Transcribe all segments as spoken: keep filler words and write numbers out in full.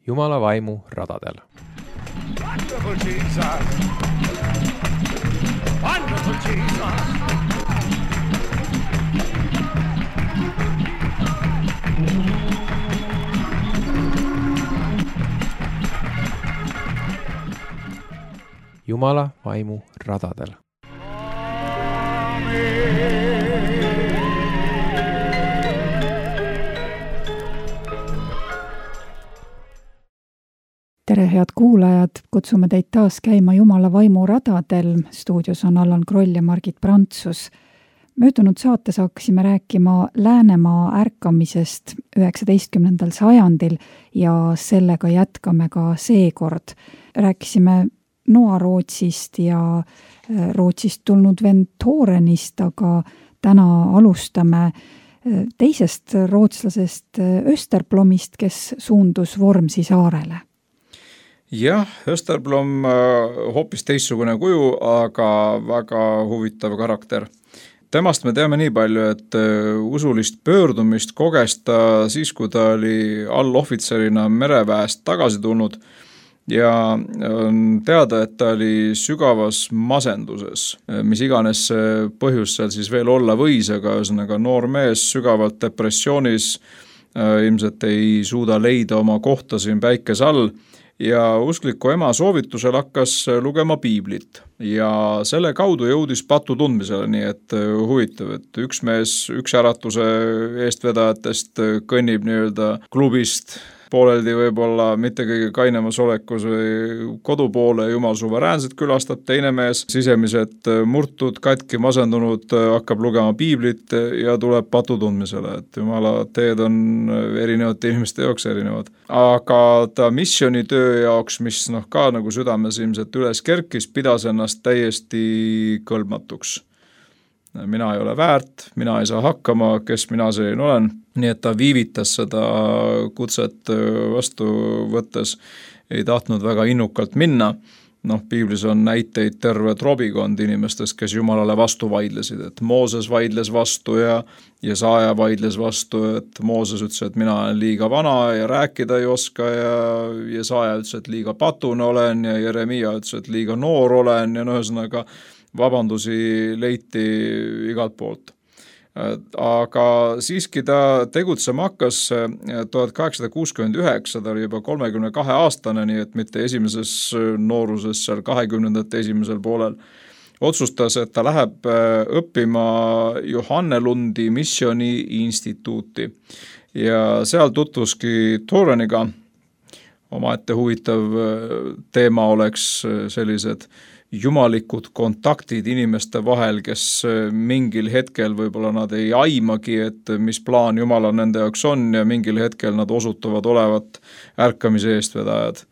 Jumala vaimu radadel. Wonderful Jesus! Wonderful Jesus! Jumala vaimu radadel. Tere, head kuulajad! Kutsume teid taas käima Jumala vaimu radadel. Stuudios on Allan Kroll ja Margit Prantsus. Möödunud saates hakkasime rääkima Läänemaa ärkamisest üheksateistkümnendal sajandil ja sellega jätkame ka seekord. Rääkisime Noa-Rootsist ja Rootsist tulnud vend Thorenist, aga täna alustame teisest rootslasest Österblomist, kes suundus Vormsi saarele. Jah, Österblom hoopis teistsugune kuju, aga väga huvitav karakter. Temast me teame nii palju, et usulist pöördumist koges ta siis, kui ta oli allohvitserina mereväest tagasi tulnud ja on teada, et ta oli sügavas masenduses, mis iganes põhjus seal siis veel olla võis, aga ühesõnaga noor mees sügavalt depressioonis ilmselt ei suuda leida oma kohta siin päikese all ja uskliku ema soovitusel hakkas lugema piiblit ja selle kaudu jõudis patu tundmisele, nii et huvitav, et üks mees, üks äratuse eestvedajatest kõnnib nii-öelda klubist pooleldi võib-olla mitte kõige kainemas olekus või kodu poole Jumal suveräänselt külastab, teine mees sisemiselt murtud, katki, masendunud, hakkab lugema piiblit ja tuleb patu tundmisele, et Jumala teed on erinevate inimeste jaoks erinevad. Aga ta missioonitöö jaoks, mis noh ka nagu südames ilmselt üles kerkis, pidas ennast täiesti kõlbmatuks. Mina ei ole väärt, mina ei saa hakkama, kes mina selline olen. Nii et ta viivitas seda kutset vastu võttes, ei tahtnud väga innukalt minna. Noh, piiblis on näiteid terve trobikond inimestest, kes Jumalale vastu vaidlesid, et Mooses vaidles vastu ja Jesaja vaidles vastu, et Mooses ütles, et mina olen liiga vana ja rääkida ei oska ja Jesaja ütles, et liiga patune olen ja Jeremia ütles, et liiga noor olen ja no ühesõnaga vabandusi leiti igalt poolt. Aga siiski ta tegutsema hakkas tuhat kaheksasada kuuskümmend üheksa, ta oli juba kolmekümne kahe aastane, nii et mitte esimeses nooruses seal kahekümnendate esimesel poolel. Otsustas, et ta läheb õppima Johannelundi missiooni instituuti ja seal tutvuski Thoreniga. Omaette huvitav teema oleks sellised jumalikud kontaktid inimeste vahel, kes mingil hetkel võib-olla nad ei aimagi, et mis plaan Jumala nende jaoks on ja mingil hetkel nad osutuvad olevat ärkamise eestvedajad.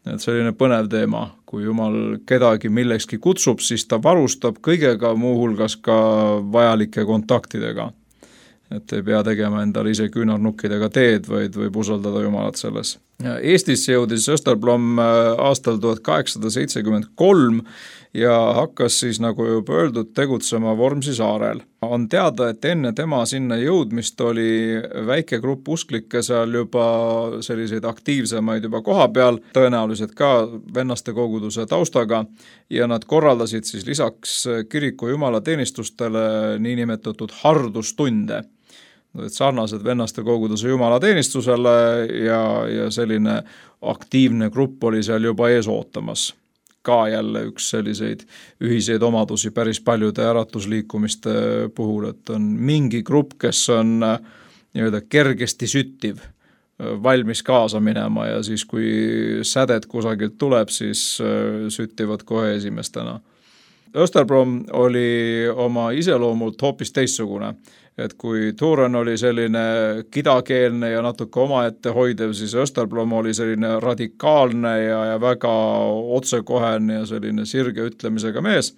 Et selline põnev teema, kui Jumal kedagi millekski kutsub, siis ta varustab kõigega muuhulgas ka vajalike kontaktidega. Et ei pea tegema endale ise küünarnukkidega teed, vaid võib usaldada Jumalat selles. Eestisse jõudis Österblom aastal tuhat kaheksasada seitsekümmend kolm ja hakkas siis, nagu juba öeldud, tegutsema Vormsi saarel. On teada, et enne tema sinna jõudmist oli väike grupp usklikke seal juba selliseid aktiivsemaid juba koha peal, tõenäoliselt ka vennaste koguduse taustaga ja nad korraldasid siis lisaks kiriku jumalateenistustele niinimetatud hardustunde. Et sarnased vennaste koguduse jumalateenistusele ja, ja selline aktiivne grupp oli seal juba ees ootamas. Ka jälle üks selliseid ühiseid omadusi päris paljude äratusliikumiste puhul, et on mingi grupp, kes on nii-öelda kergesti süttiv, valmis kaasa minema ja siis kui sädet kusagilt tuleb, siis süttivad kohe esimestena. Österblom oli oma iseloomult hoopis teistsugune, et kui Thoren oli selline kidakeelne ja natuke omaette hoidev, siis Österblom oli selline radikaalne ja, ja väga otsekohene ja selline sirge ütlemisega mees.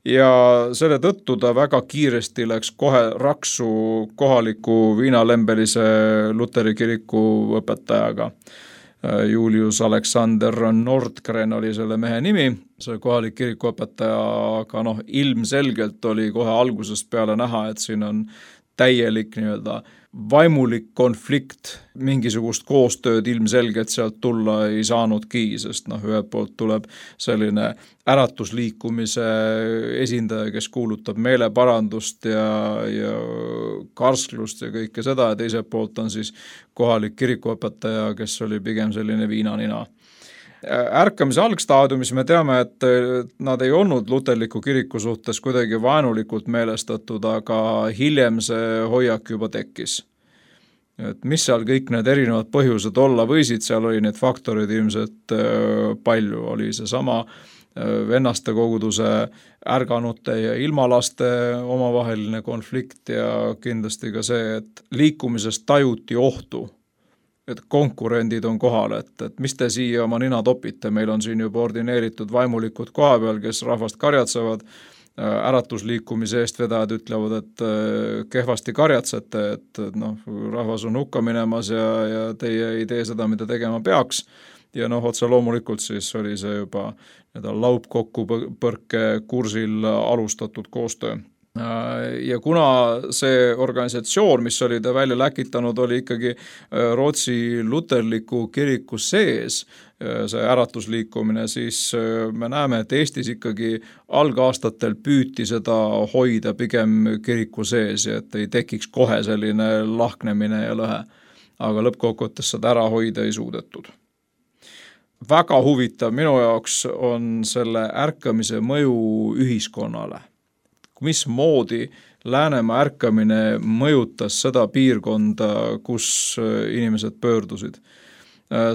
Ja selle tõttu ta väga kiiresti läks kohe raksu kohaliku viinalembelise Luteri kiriku õpetajaga. Julius Alexander Nordgren oli selle mehe nimi, see kohalik kirikuõpetaja, aga noh, ilmselgelt oli kohe algusest peale näha, et siin on täielik nii-öelda vaimulik konflikt, mingisugust koostööd ilmselgelt sealt tulla ei saanudki, sest noh, ühelt poolt tuleb selline äratusliikumise esindaja, kes kuulutab meeleparandust ja, ja karsklust ja kõike seda, ja teiselt poolt on siis kohalik kirikuõpetaja, kes oli pigem selline viinanina. Ärkamise algstaadiumis me teame, et nad ei olnud luterliku kiriku suhtes kuidagi vaenulikult meelestatud, aga hiljem see hoiak juba tekkis. Et mis seal kõik need erinevad põhjused olla võisid, seal oli need faktorid ilmselt palju, oli see sama vennaste koguduse ärganute ja ilmalaste omavaheline konflikt ja kindlasti ka see, et liikumisest tajuti ohtu, et konkurendid on kohal, et, et mis te siia oma nina topite, meil on siin juba ordineeritud vaimulikud koha peal, kes rahvast karjatsevad, äratusliikumise eest vedajad ütlevad, et kehvasti karjatsete, et noh, rahvas on hukka minemas ja, ja teie ei tee seda, mida tegema peaks. Ja noh, otse loomulikult siis oli see juba laupkokkupõrke kursil alustatud koostöö. Ja kuna see organisatsioon, mis oli ta välja läkitanud, oli ikkagi Rootsi luterliku kiriku sees, see äratusliikumine, siis me näeme, et Eestis ikkagi algaastatel püüti seda hoida pigem kiriku sees, et ei tekiks kohe selline lahknemine ja lõhe. Aga lõppkokkuvõttes seda ära hoida ei suudetud. Väga huvitav minu jaoks on selle ärkamise mõju ühiskonnale. Mismoodi Läänemaa ärkamine mõjutas seda piirkonda, kus inimesed pöördusid.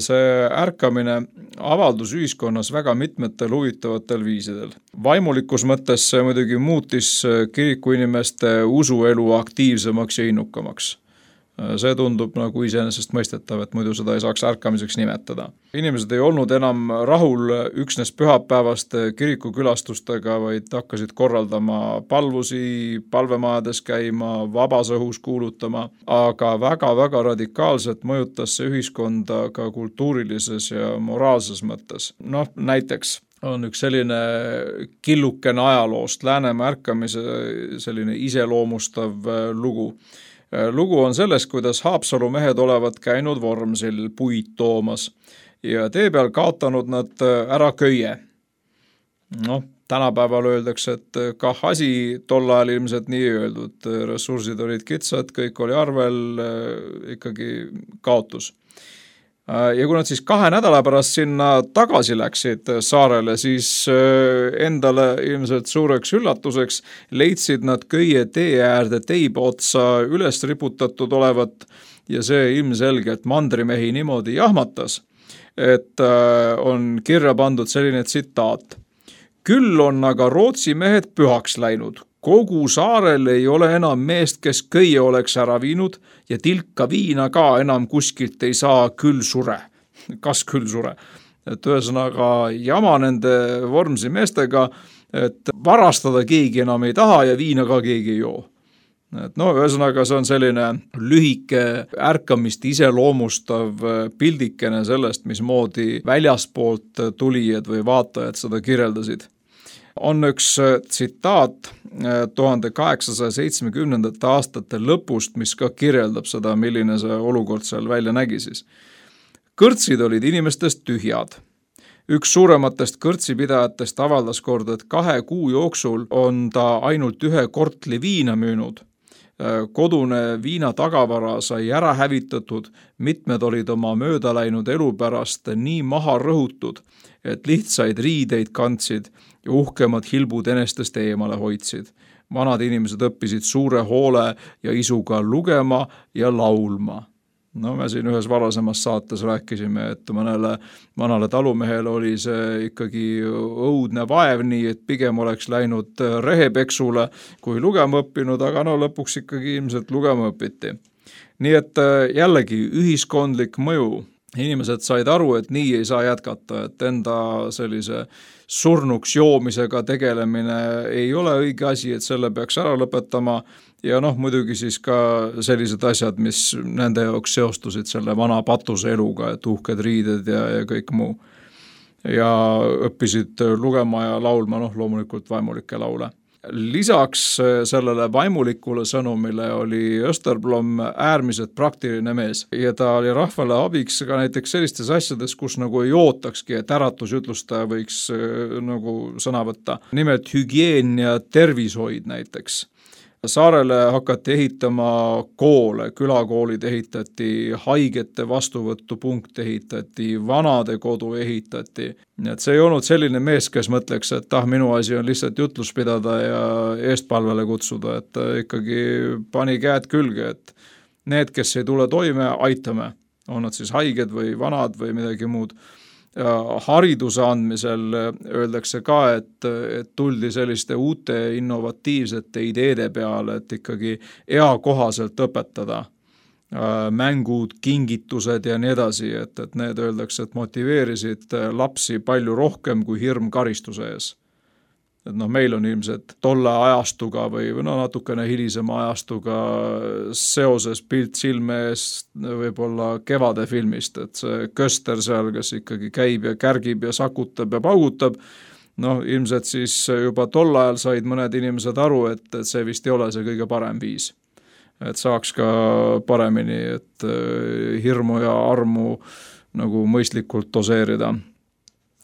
See ärkamine avaldus ühiskonnas väga mitmetel huvitavatel viisidel. Vaimulikus mõttes see muidugi muutis kirikuinimeste usuelu aktiivsemaks ja innukamaks. See tundub nagu iseenesest mõistetav, et muidu seda ei saaks ärkamiseks nimetada. Inimesed ei olnud enam rahul üksnes pühapäevaste kirikukülastustega, vaid hakkasid korraldama palvusi, palvemajades käima, vabas õhus kuulutama, aga väga-väga radikaalselt mõjutas see ühiskonda ka kultuurilises ja moraalses mõttes. Noh, näiteks on üks selline killukene ajaloost, Läänemaa ärkamise selline iseloomustav lugu. Lugu on selles, kuidas Haapsalu mehed olevat käinud Vormsil puid toomas ja tee peal kaotanud nad ära köie. Noh, tänapäeval öeldakse, et kah asi tol ajal ilmselt nii öeldud, ressursid olid kitsad, kõik oli arvel, ikkagi kaotus. Ja kui nad siis kahe nädala pärast sinna tagasi läksid saarele, siis endale ilmselt suureks üllatuseks leidsid nad köie tee äärde teiba otsa üles riputatud olevat ja see ilmselgelt mandrimehi niimoodi jahmatas, et on kirja pandud selline tsitaat. Küll on aga Rootsi mehed pühaks läinud. Kogu saarel ei ole enam meest, kes köie oleks ära viinud ja tilka viina ka enam kuskilt ei saa, küll sure. Kas küll sure? Et ühesõnaga jama nende Vormsi meestega, et varastada keegi enam ei taha ja viina ka keegi ei joo. Et no, ühesõnaga see on selline lühike ärkamist iseloomustav pildikene sellest, mismoodi väljaspoolt tulijad või vaatajad seda kirjeldasid. On üks tsitaat tuhande kaheksasaja seitsmekümnendate aastate lõpust, mis ka kirjeldab seda, milline see olukord seal välja nägi siis. Kõrtsid olid inimestest tühjad. Üks suurematest kõrtsipidajatest avaldas kord, et kahe kuu jooksul on ta ainult ühe kortli viina müünud. Kodune viina tagavara sai ära hävitatud, mitmed olid oma mööda läinud elu pärast nii maha rõhutud, et lihtsaid riideid kandsid ja uhkemad hilbud enestest eemale hoidsid. Vanad inimesed õppisid suure hoole ja isuga lugema ja laulma. No me siin ühes varasemas saates rääkisime, et mõnele vanale talumehele oli see ikkagi õudne vaev nii, et pigem oleks läinud rehepeksule kui lugema õppinud, aga no lõpuks ikkagi ilmselt lugema õpiti. Nii et jällegi ühiskondlik mõju. Inimesed said aru, et nii ei saa jätkata, et enda sellise surnuks joomisega tegelemine ei ole õige asi, et selle peaks ära lõpetama ja noh, muidugi siis ka sellised asjad, mis nende jaoks seostusid selle vana patuse eluga, et uhked riided ja, ja kõik muu. Ja õppisid lugema ja laulma, noh loomulikult vaimulikke laule. lisaks sellele vaimulikule sõnumile oli Österblom äärmiselt praktiline mees ja ta oli rahvale abiks ka näiteks sellistes asjades, kus nagu ei ootakski, et äratusjutlustaja võiks nagu sõna võtta. Nimelt hügieen ja tervishoid näiteks. Saarele hakati ehitama koole, külakoolid ehitati, haigete vastuvõtupunkt ehitati, vanade kodu ehitati. Nii et see ei olnud selline mees, kes mõtleks, et ah, minu asi on lihtsalt jutlus pidada ja eestpalvele kutsuda, et ikkagi pani käed külge, et need, kes ei tule toime, aitame. On nad siis haiged või vanad või midagi muud. Ja hariduse andmisel öeldakse ka, et, et tuldi selliste uute innovatiivsete ideede peale, et ikkagi eakohaselt õpetada mängud, kingitused ja nii edasi, et, et need öeldakse, et motiveerisid lapsi palju rohkem kui hirm karistuse ees. Et noh, meil on ilmselt tolle ajastuga või no natukene hilisema ajastuga seoses pilt silme ees võib-olla Kevade filmist, et see Köster seal, kes ikkagi käib ja kärgib ja sakutab ja paugutab, noh ilmselt siis juba tol ajal said mõned inimesed aru, et, et see vist ei ole see kõige parem viis. Et saaks ka paremini, et hirmu ja armu nagu mõistlikult doseerida.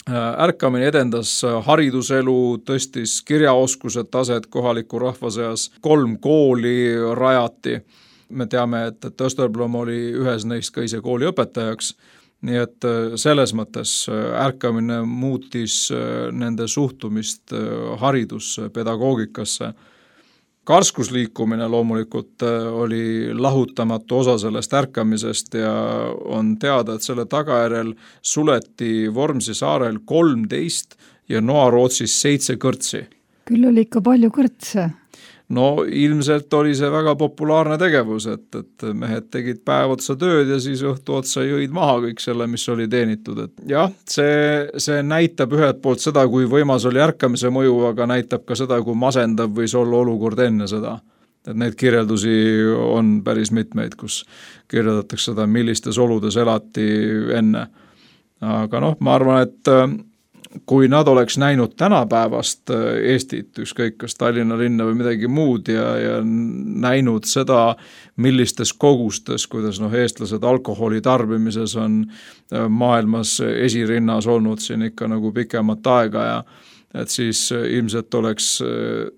Ärkamine edendas hariduselu, tõstis kirjaoskused taset kohaliku rahva seas, kolm kooli rajati. Me teame, et, et Österblom oli ühes neist ka ise kooli õpetajaks, nii et selles mõttes ärkamine muutis nende suhtumist haridusse, pedagoogikasse. Karskusliikumine loomulikult oli lahutamatu osa sellest ärkamisest ja on teada, et selle tagajärjel suleti Vormsi saarel kolmteist ja Noa-Rootsis seitse kõrtsi. Küll oli ikka palju kõrtse. No ilmselt oli see väga populaarne tegevus, et, et mehed tegid päev otsa tööd ja siis õhtu otsa jõid maha kõik selle, mis oli teenitud. Et jah, see, see näitab ühelt poolt seda, kui võimas oli ärkamise mõju, aga näitab ka seda, kui masendav võis olla olukord enne seda. Et neid kirjeldusi on päris mitmeid, kus kirjeldatakse seda, millistes oludes elati enne. Aga noh, ma arvan, et kui nad oleks näinud tänapäevast Eestit, ükskõik kas Tallinna linna või midagi muud ja, ja näinud seda, millistes kogustes, kuidas noh, eestlased alkoholi tarbimises on maailmas esirinnas olnud siin ikka nagu pikemat aega ja et siis ilmselt oleks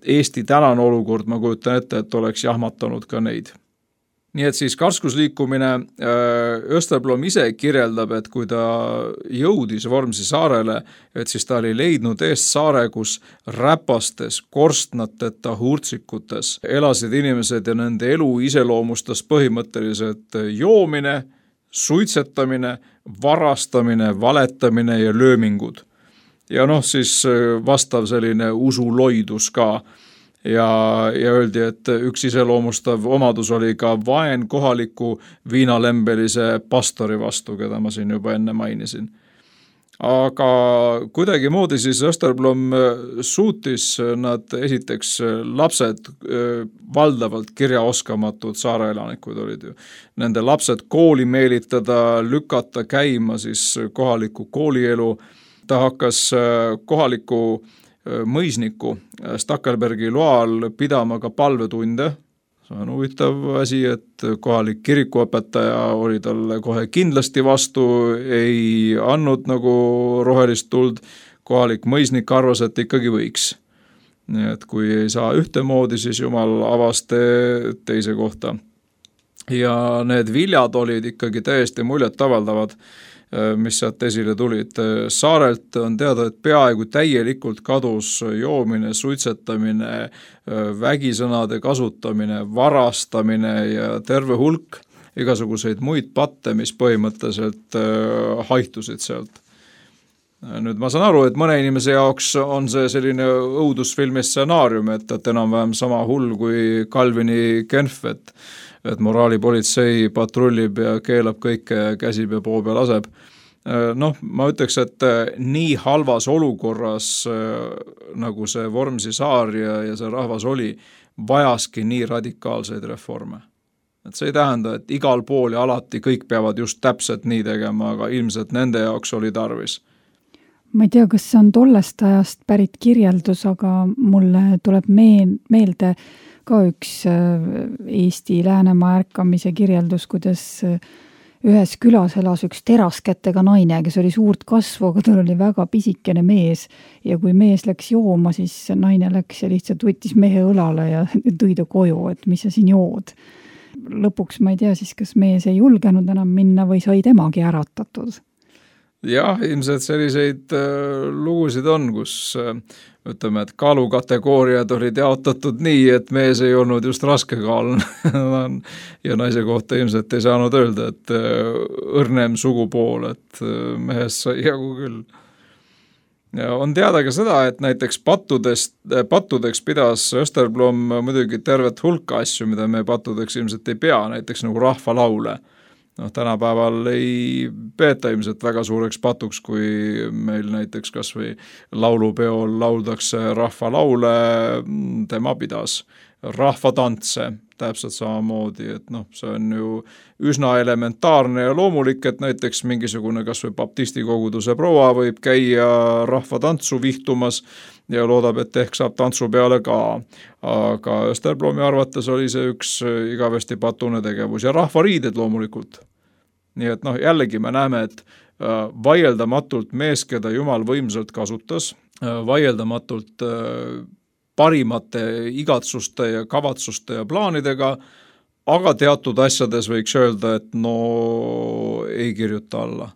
Eesti tänane olukord, ma kujutan ette, et oleks jahmatanud ka neid. Nii et siis karskusliikumine Österblom ise kirjeldab, et kui ta jõudis Vormsi saarele, et siis ta oli leidnud eest saare, kus räpastes, korstnateta hurtsikutes elasid inimesed ja nende elu iseloomustas põhimõtteliselt joomine, suitsetamine, varastamine, valetamine ja löömingud. Ja noh, siis vastav selline usuloidus ka. Ja, ja öeldi, et üks iseloomustav omadus oli ka vaen kohaliku viinalembelise pastori vastu, keda ma siin juba enne mainisin. Aga kuidagi moodi siis Österblom suutis nad esiteks lapsed valdavalt kirjaoskamatud saareelanikud olid ju. Nende lapsed kooli meelitada, lükata käima siis kohaliku koolielu. Ta hakkas kohaliku mõisniku Stakkelbergi loal pidama ka palvetunde. See on huvitav asi, et kohalik kirikuõpetaja oli talle kohe kindlasti vastu, ei andnud nagu rohelist tuld. Kohalik mõisnik arvas, et ikkagi võiks. Nii et kui ei saa ühtemoodi, siis Jumal avas te teise kohta. Ja need viljad olid ikkagi täiesti muljet avaldavad, mis sealt esile tulid. Saarelt on teada, et peaaegu täielikult kadus joomine, suitsetamine, vägisõnade kasutamine, varastamine ja terve hulk igasuguseid muid patte, mis põhimõtteliselt haihtusid sealt. Nüüd ma saan aru, et mõne inimese jaoks on see selline õudusfilmi stsenaarium, et, et enam-vähem sama hull kui Calvini Genf, et et moraalipolitsei patrullib ja keelab kõike ja käsib ja poob ja laseb. Noh, ma ütleks, et nii halvas olukorras nagu see Vormsi saar ja, ja see rahvas oli, vajaski nii radikaalseid reforme. Et see ei tähenda, et igal pool ja alati kõik peavad just täpselt nii tegema, aga ilmselt nende jaoks oli tarvis. ma ei tea, kas see on tollest ajast pärit kirjeldus, aga mulle tuleb meel, meelde ka üks Eesti Läänemaa ärkamise kirjeldus, kuidas ühes külas elas üks teraskätega naine, kes oli suurt kasvu, aga tal oli väga pisikene mees ja kui mees läks jooma, siis naine läks ja lihtsalt võttis mehe õlale ja tõi ta koju, et mis sa siin jood. Lõpuks ma ei tea siis, kas mees ei julgenud enam minna või sai temagi äratatud. Jah, ilmselt selliseid äh, lugusid on, kus äh, ütleme, et kaalukategooriad olid jaotatud nii, et mees ei olnud just raske kaalun ja naise kohta ilmselt ei saanud öelda, et äh, õrnem sugupool, et äh, mehest sai jagu küll. Ja on teada ka seda, et näiteks pattudest, pattudeks pidas Österblom muidugi tervet hulka asju, mida me pattudeks ilmselt ei pea, näiteks nagu rahvalaule. Noh, tänapäeval ei peeta ilmselt väga suureks patuks, kui meil näiteks kas või laulupeol lauldakse rahvalaule, tema pidas rahvatantse täpselt samamoodi, et noh, see on ju üsna elementaarne ja loomulik, et näiteks mingisugune kas või baptisti koguduse proua võib käia rahvatantsu vihtumas ja loodab, et ehk saab tantsu peale ka. Aga Österblomi arvates oli see üks igavesti patune tegevus ja rahvariided loomulikult. Nii et noh, jällegi me näeme, et vaieldamatult mees, keda Jumal võimsalt kasutas, vaieldamatult parimate igatsuste ja kavatsuste ja plaanidega, aga teatud asjades võiks öelda, et no ei kirjuta alla.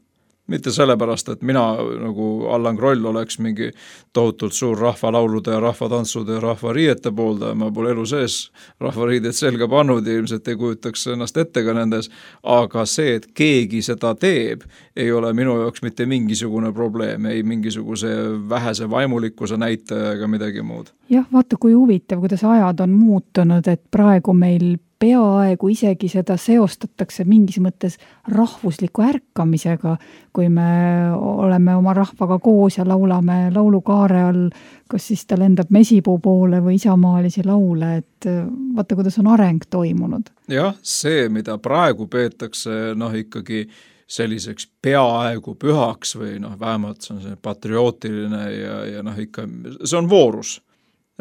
Mitte sellepärast, et mina nagu Allan Kroll oleks mingi tohutult suur rahvalaulude ja rahvatantsude ja rahvariiete poolda, ma pole elu sees rahvariidet selga pannud ja ilmselt ei kujutaks ennast ette ka nendes, aga see, et keegi seda teeb, ei ole minu jaoks mitte mingisugune probleem, ei mingisuguse vähese vaimulikkuse näitaja ega midagi muud. Jah, vaata kui huvitav, kuidas ajad on muutunud, et praegu meil peaaegu isegi seda seostatakse mingis mõttes rahvusliku ärkamisega, kui me oleme oma rahvaga koos ja laulame laulukaare all, kas siis ta lendab mesipuu poole või isamaalisi laule, et vaata, kuidas on areng toimunud. Jah, see, mida praegu peetakse noh ikkagi selliseks peaaegu pühaks või noh, vähemalt see on see patriootiline ja, ja noh ikka, see on voorus.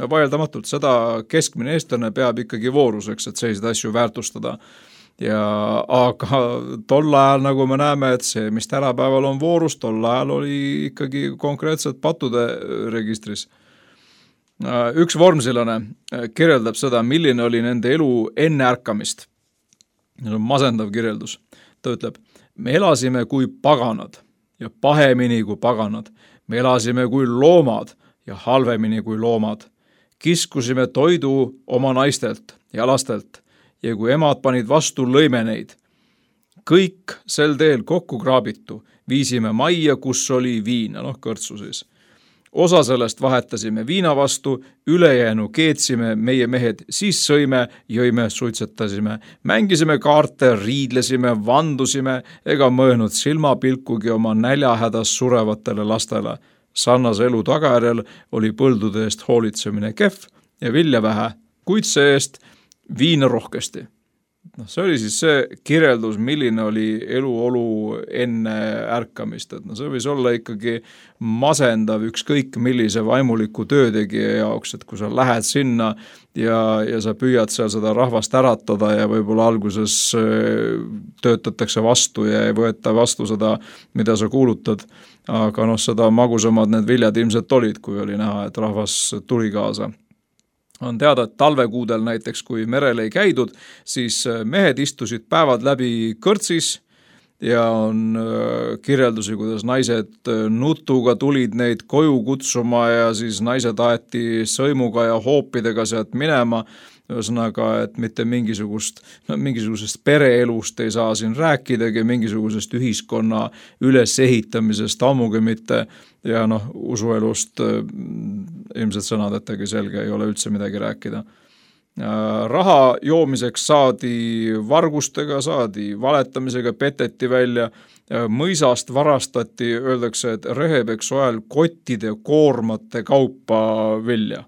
Ja vaieldamatult seda keskmine eestlane peab ikkagi vooruseks, et selliseid asju väärtustada. Ja, aga tol ajal, nagu me näeme, et see, mis tänapäeval on voorus, tol ajal oli ikkagi konkreetselt pattude registris. Üks vormsilane kirjeldab seda, milline oli nende elu enne ärkamist. See on masendav kirjeldus. Ta ütleb, me elasime kui paganad ja pahemini kui paganad. Me elasime kui loomad ja halvemini kui loomad. Kiskusime toidu oma naistelt ja lastelt ja kui emad panid vastu, lõime neid. Kõik sel teel kokku kraabitu viisime majja, kus oli viina, noh kõrtsu siis. Osa sellest vahetasime viina vastu, ülejäänu keetsime meie mehed, siis sõime, jõime, suitsetasime, mängisime kaarte, riidlesime, vandusime ega mõõnud silmapilkugi oma näljahädas surevatele lastele. Sarnase elu tagajärjel oli põldude eest hoolitsemine kehv ja vilja vähe, kuid see eest viina rohkesti. No, see oli siis see kirjeldus, milline oli eluolu enne ärkamist. Et no, see võis olla ikkagi masendav ükskõik millise vaimuliku töötegija jaoks, et kui sa lähed sinna ja, ja sa püüad seal seda rahvast äratada ja võib-olla alguses töötatakse vastu ja ei võeta vastu seda, mida sa kuulutad, aga noh, seda magusamad need viljad ilmselt olid, kui oli näha, et rahvas tuli kaasa. On teada, et talvekuudel näiteks, kui merel ei käidud, siis mehed istusid päevad läbi kõrtsis ja on kirjeldusi, kuidas naised nutuga tulid neid koju kutsuma ja siis naised aeti sõimuga ja hoopidega sealt minema. Ühesõnaga, et mitte mingisugust, no, mingisugusest pereelust ei saa siin rääkidagi, mingisugusest ühiskonna ülesehitamisest ammugi mitte ja noh, usuelust ilmselt sõnadetagi selge ei ole üldse midagi rääkida. Raha joomiseks saadi vargustega, saadi valetamisega, peteti välja, mõisast varastati, öeldakse, et Rehebek soel kottide koormate kaupa vilja.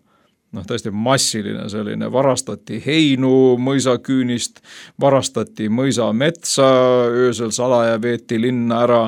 Noh, tõesti massiline selline, varastati heinu mõisaküünist, varastati mõisa metsa, öösel salaja veeti linna ära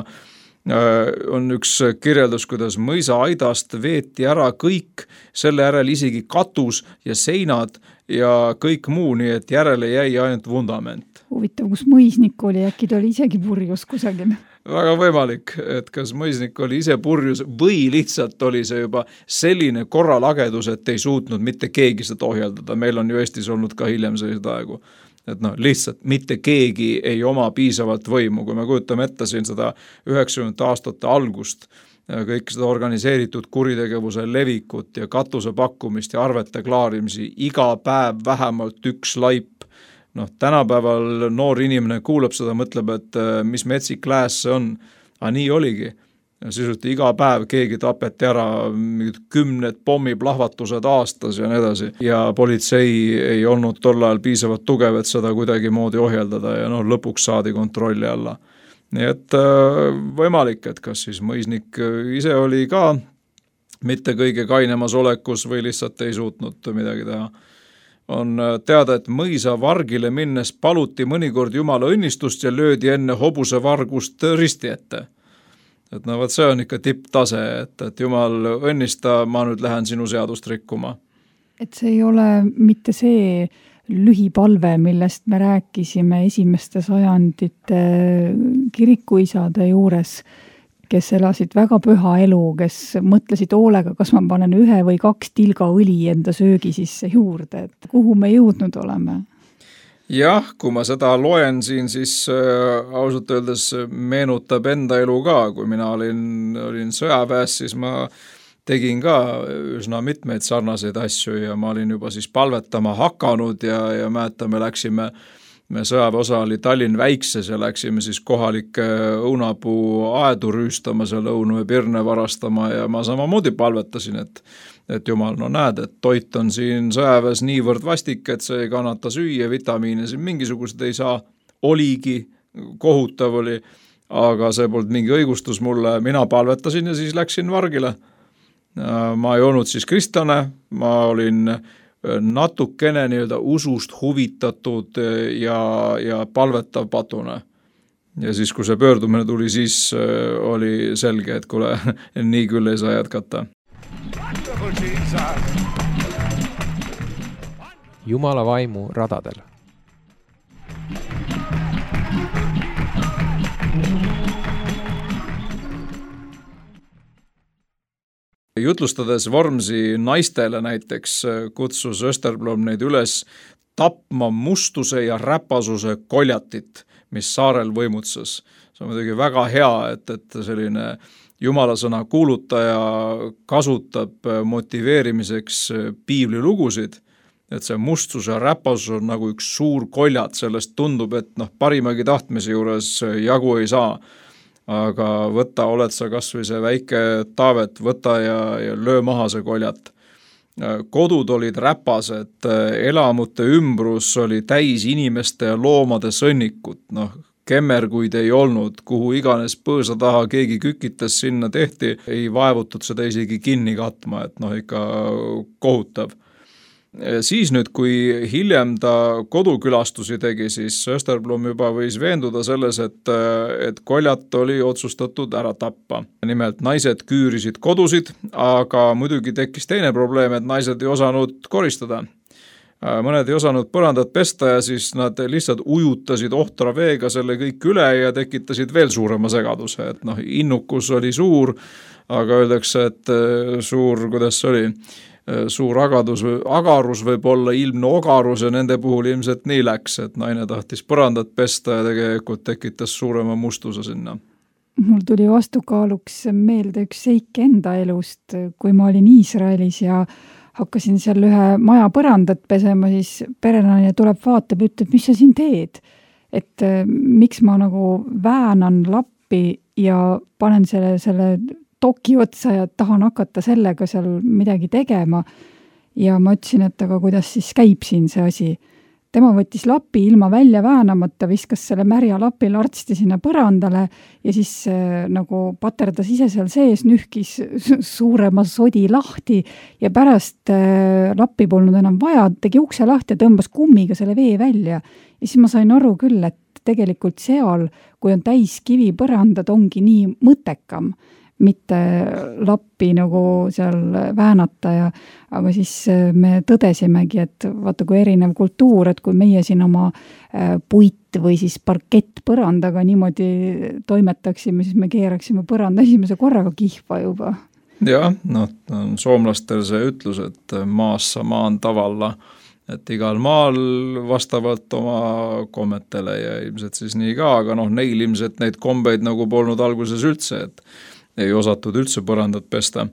on üks kirjeldus, kuidas mõisa aidast veeti ära kõik, selle järel isegi katus ja seinad ja kõik muu, nii et järele jäi ainult vundament. Huvitav, kus mõisnik oli, äkki ta oli isegi purjus kusagil? Väga võimalik, et kas mõisnik oli ise purjus või lihtsalt oli see juba selline korralagedus, et ei suutnud mitte keegi seda ohjeldada. Meil on ju Eestis olnud ka hiljem sellised aegu. Et noh, lihtsalt mitte keegi ei oma piisavalt võimu, kui me kujutame ette siin seda üheksakümnendate aastate algust, kõik seda organiseeritud kuritegevuse levikut ja katuse pakkumist ja arvete klaarimisi, iga päev vähemalt üks laip. Noh, tänapäeval noor inimene kuulab seda, mõtleb, et mis metsik lääs see on, aga nii oligi. Ja sisuliselt iga päev keegi tapeti ära, kümned pommiplahvatused aastas ja nii edasi. Ja politsei ei olnud tol ajal piisavalt tugev, et seda kuidagi moodi ohjeldada ja no, lõpuks saadi kontrolli alla. Nii et võimalik, et kas siis mõisnik ise oli ka mitte kõige kainemas olekus või lihtsalt ei suutnud midagi teha. On teada, et mõisa vargile minnes paluti mõnikord Jumala õnnistust ja löödi enne hobuse vargust risti ette. Et no võt, see on ikka tipptase, et, et Jumal õnnista, ma nüüd lähen sinu seadust rikkuma. Et see ei ole mitte see lühipalve, millest me rääkisime esimeste sajandite kirikuisade juures, kes elasid väga püha elu, kes mõtlesid hoolega, kas ma panen ühe või kaks tilga õli enda söögi sisse juurde, et kuhu me jõudnud oleme? Jah, kui ma seda loen siin, siis äh, ausalt öeldes meenutab enda elu ka, kui mina olin, olin sõjaväes, siis ma tegin ka üsna mitmeid sarnaseid asju ja ma olin juba siis palvetama hakanud ja, ja mäeta, me läksime, me sõjaväeosa oli Tallinn Väikses ja läksime siis kohalike õunapuu aedu rüüstama, seal õunu ja pirne varastama ja ma samamoodi palvetasin, et et Jumal, no näed, et toit on siin sõjaväes niivõrd vastik, et see ei kannata süüa, vitamiine siin mingisugused ei saa, oligi, kohutav oli, aga see polnud mingi õigustus mulle, mina palvetasin ja siis läksin vargile. Ma ei olnud siis kristlane, ma olin natukene nii-öelda usust huvitatud ja, ja palvetav patune. Ja siis, kui see pöördumine tuli, siis oli selge, et kuule, nii küll ei saa jätkata. Jumala vaimu radadel. Jutlustades Vormsi naistele näiteks kutsus Österblom neid üles tapma mustuse ja räpasuse koljatit, mis saarel võimutses. See on muidugi väga hea, et, et selline Jumalasõna kuulutaja kasutab motiveerimiseks piiblilugusid, et see mustus ja räpasus on nagu üks suur koljat, sellest tundub, et noh, parimagi tahtmise juures jagu ei saa, aga võta, oled sa kas või see väike Taavet, võta ja, ja löö maha see koljat. Kodud olid räpased, elamute ümbrus oli täis inimeste ja loomade sõnnikut, noh, kemmerguid ei olnud, kuhu iganes põõsa taha keegi kükitas sinna tehti, ei vaevutud seda isegi kinni katma, et noh, ikka kohutav. Siis nüüd, kui hiljem ta kodukülastusi tegi, siis Österblom juba võis veenduda selles, et, et koljat oli otsustatud ära tappa. Nimelt naised küürisid kodusid, aga muidugi tekkis teine probleem, et naised ei osanud koristada. Mõned ei osanud põrandat pesta ja siis nad lihtsalt ujutasid ohtra veega selle kõik üle ja tekitasid veel suurema segaduse, et noh, innukus oli suur, aga öeldakse, et suur, kuidas see oli, suur agadus, agarus võib olla ilmne ogarus ja nende puhul ilmselt nii läks, et naine tahtis põrandat pesta ja tegelikult tekitas suurema mustuse sinna. Mul tuli vastukaaluks meelde üks seik enda elust, kui ma olin Iisraelis ja hakkasin seal ühe maja põrandat pesema, siis perenaine tuleb vaatab ja ütleb, mis sa siin teed? Et miks ma nagu väänan lappi ja panen selle, selle toki otsa ja tahan hakata sellega seal midagi tegema. Ja ma ütlesin, et aga kuidas siis käib siin see asi. Tema võttis lapi ilma välja väänamata, viskas selle märja lapi lartsti sinna põrandale ja siis äh, nagu paterdas ise seal sees, nühkis suurema sodi lahti ja pärast äh, lappi polnud enam vaja, tegi ukse lahti ja tõmbas kummiga selle vee välja. Ja siis ma sain aru küll, et tegelikult seal, kui on täis kivipõrandad, ongi nii mõttekam, mitte lappi nagu seal väänata ja aga siis me tõdesimegi, et vaata kui erinev kultuur, et kui meie siin oma puit või siis parkett põrandaga niimoodi toimetaksime, siis me keeraksime põranda esimese korraga kihva juba. Jah, noh, soomlastel see ütlus, et maassa maan tavalla, et igal maal vastavalt oma kommetele ja ilmselt siis nii ka, aga noh, neil ilmselt neid kombeid nagu polnud alguses üldse, et ei osatud üldse põrandat pesta.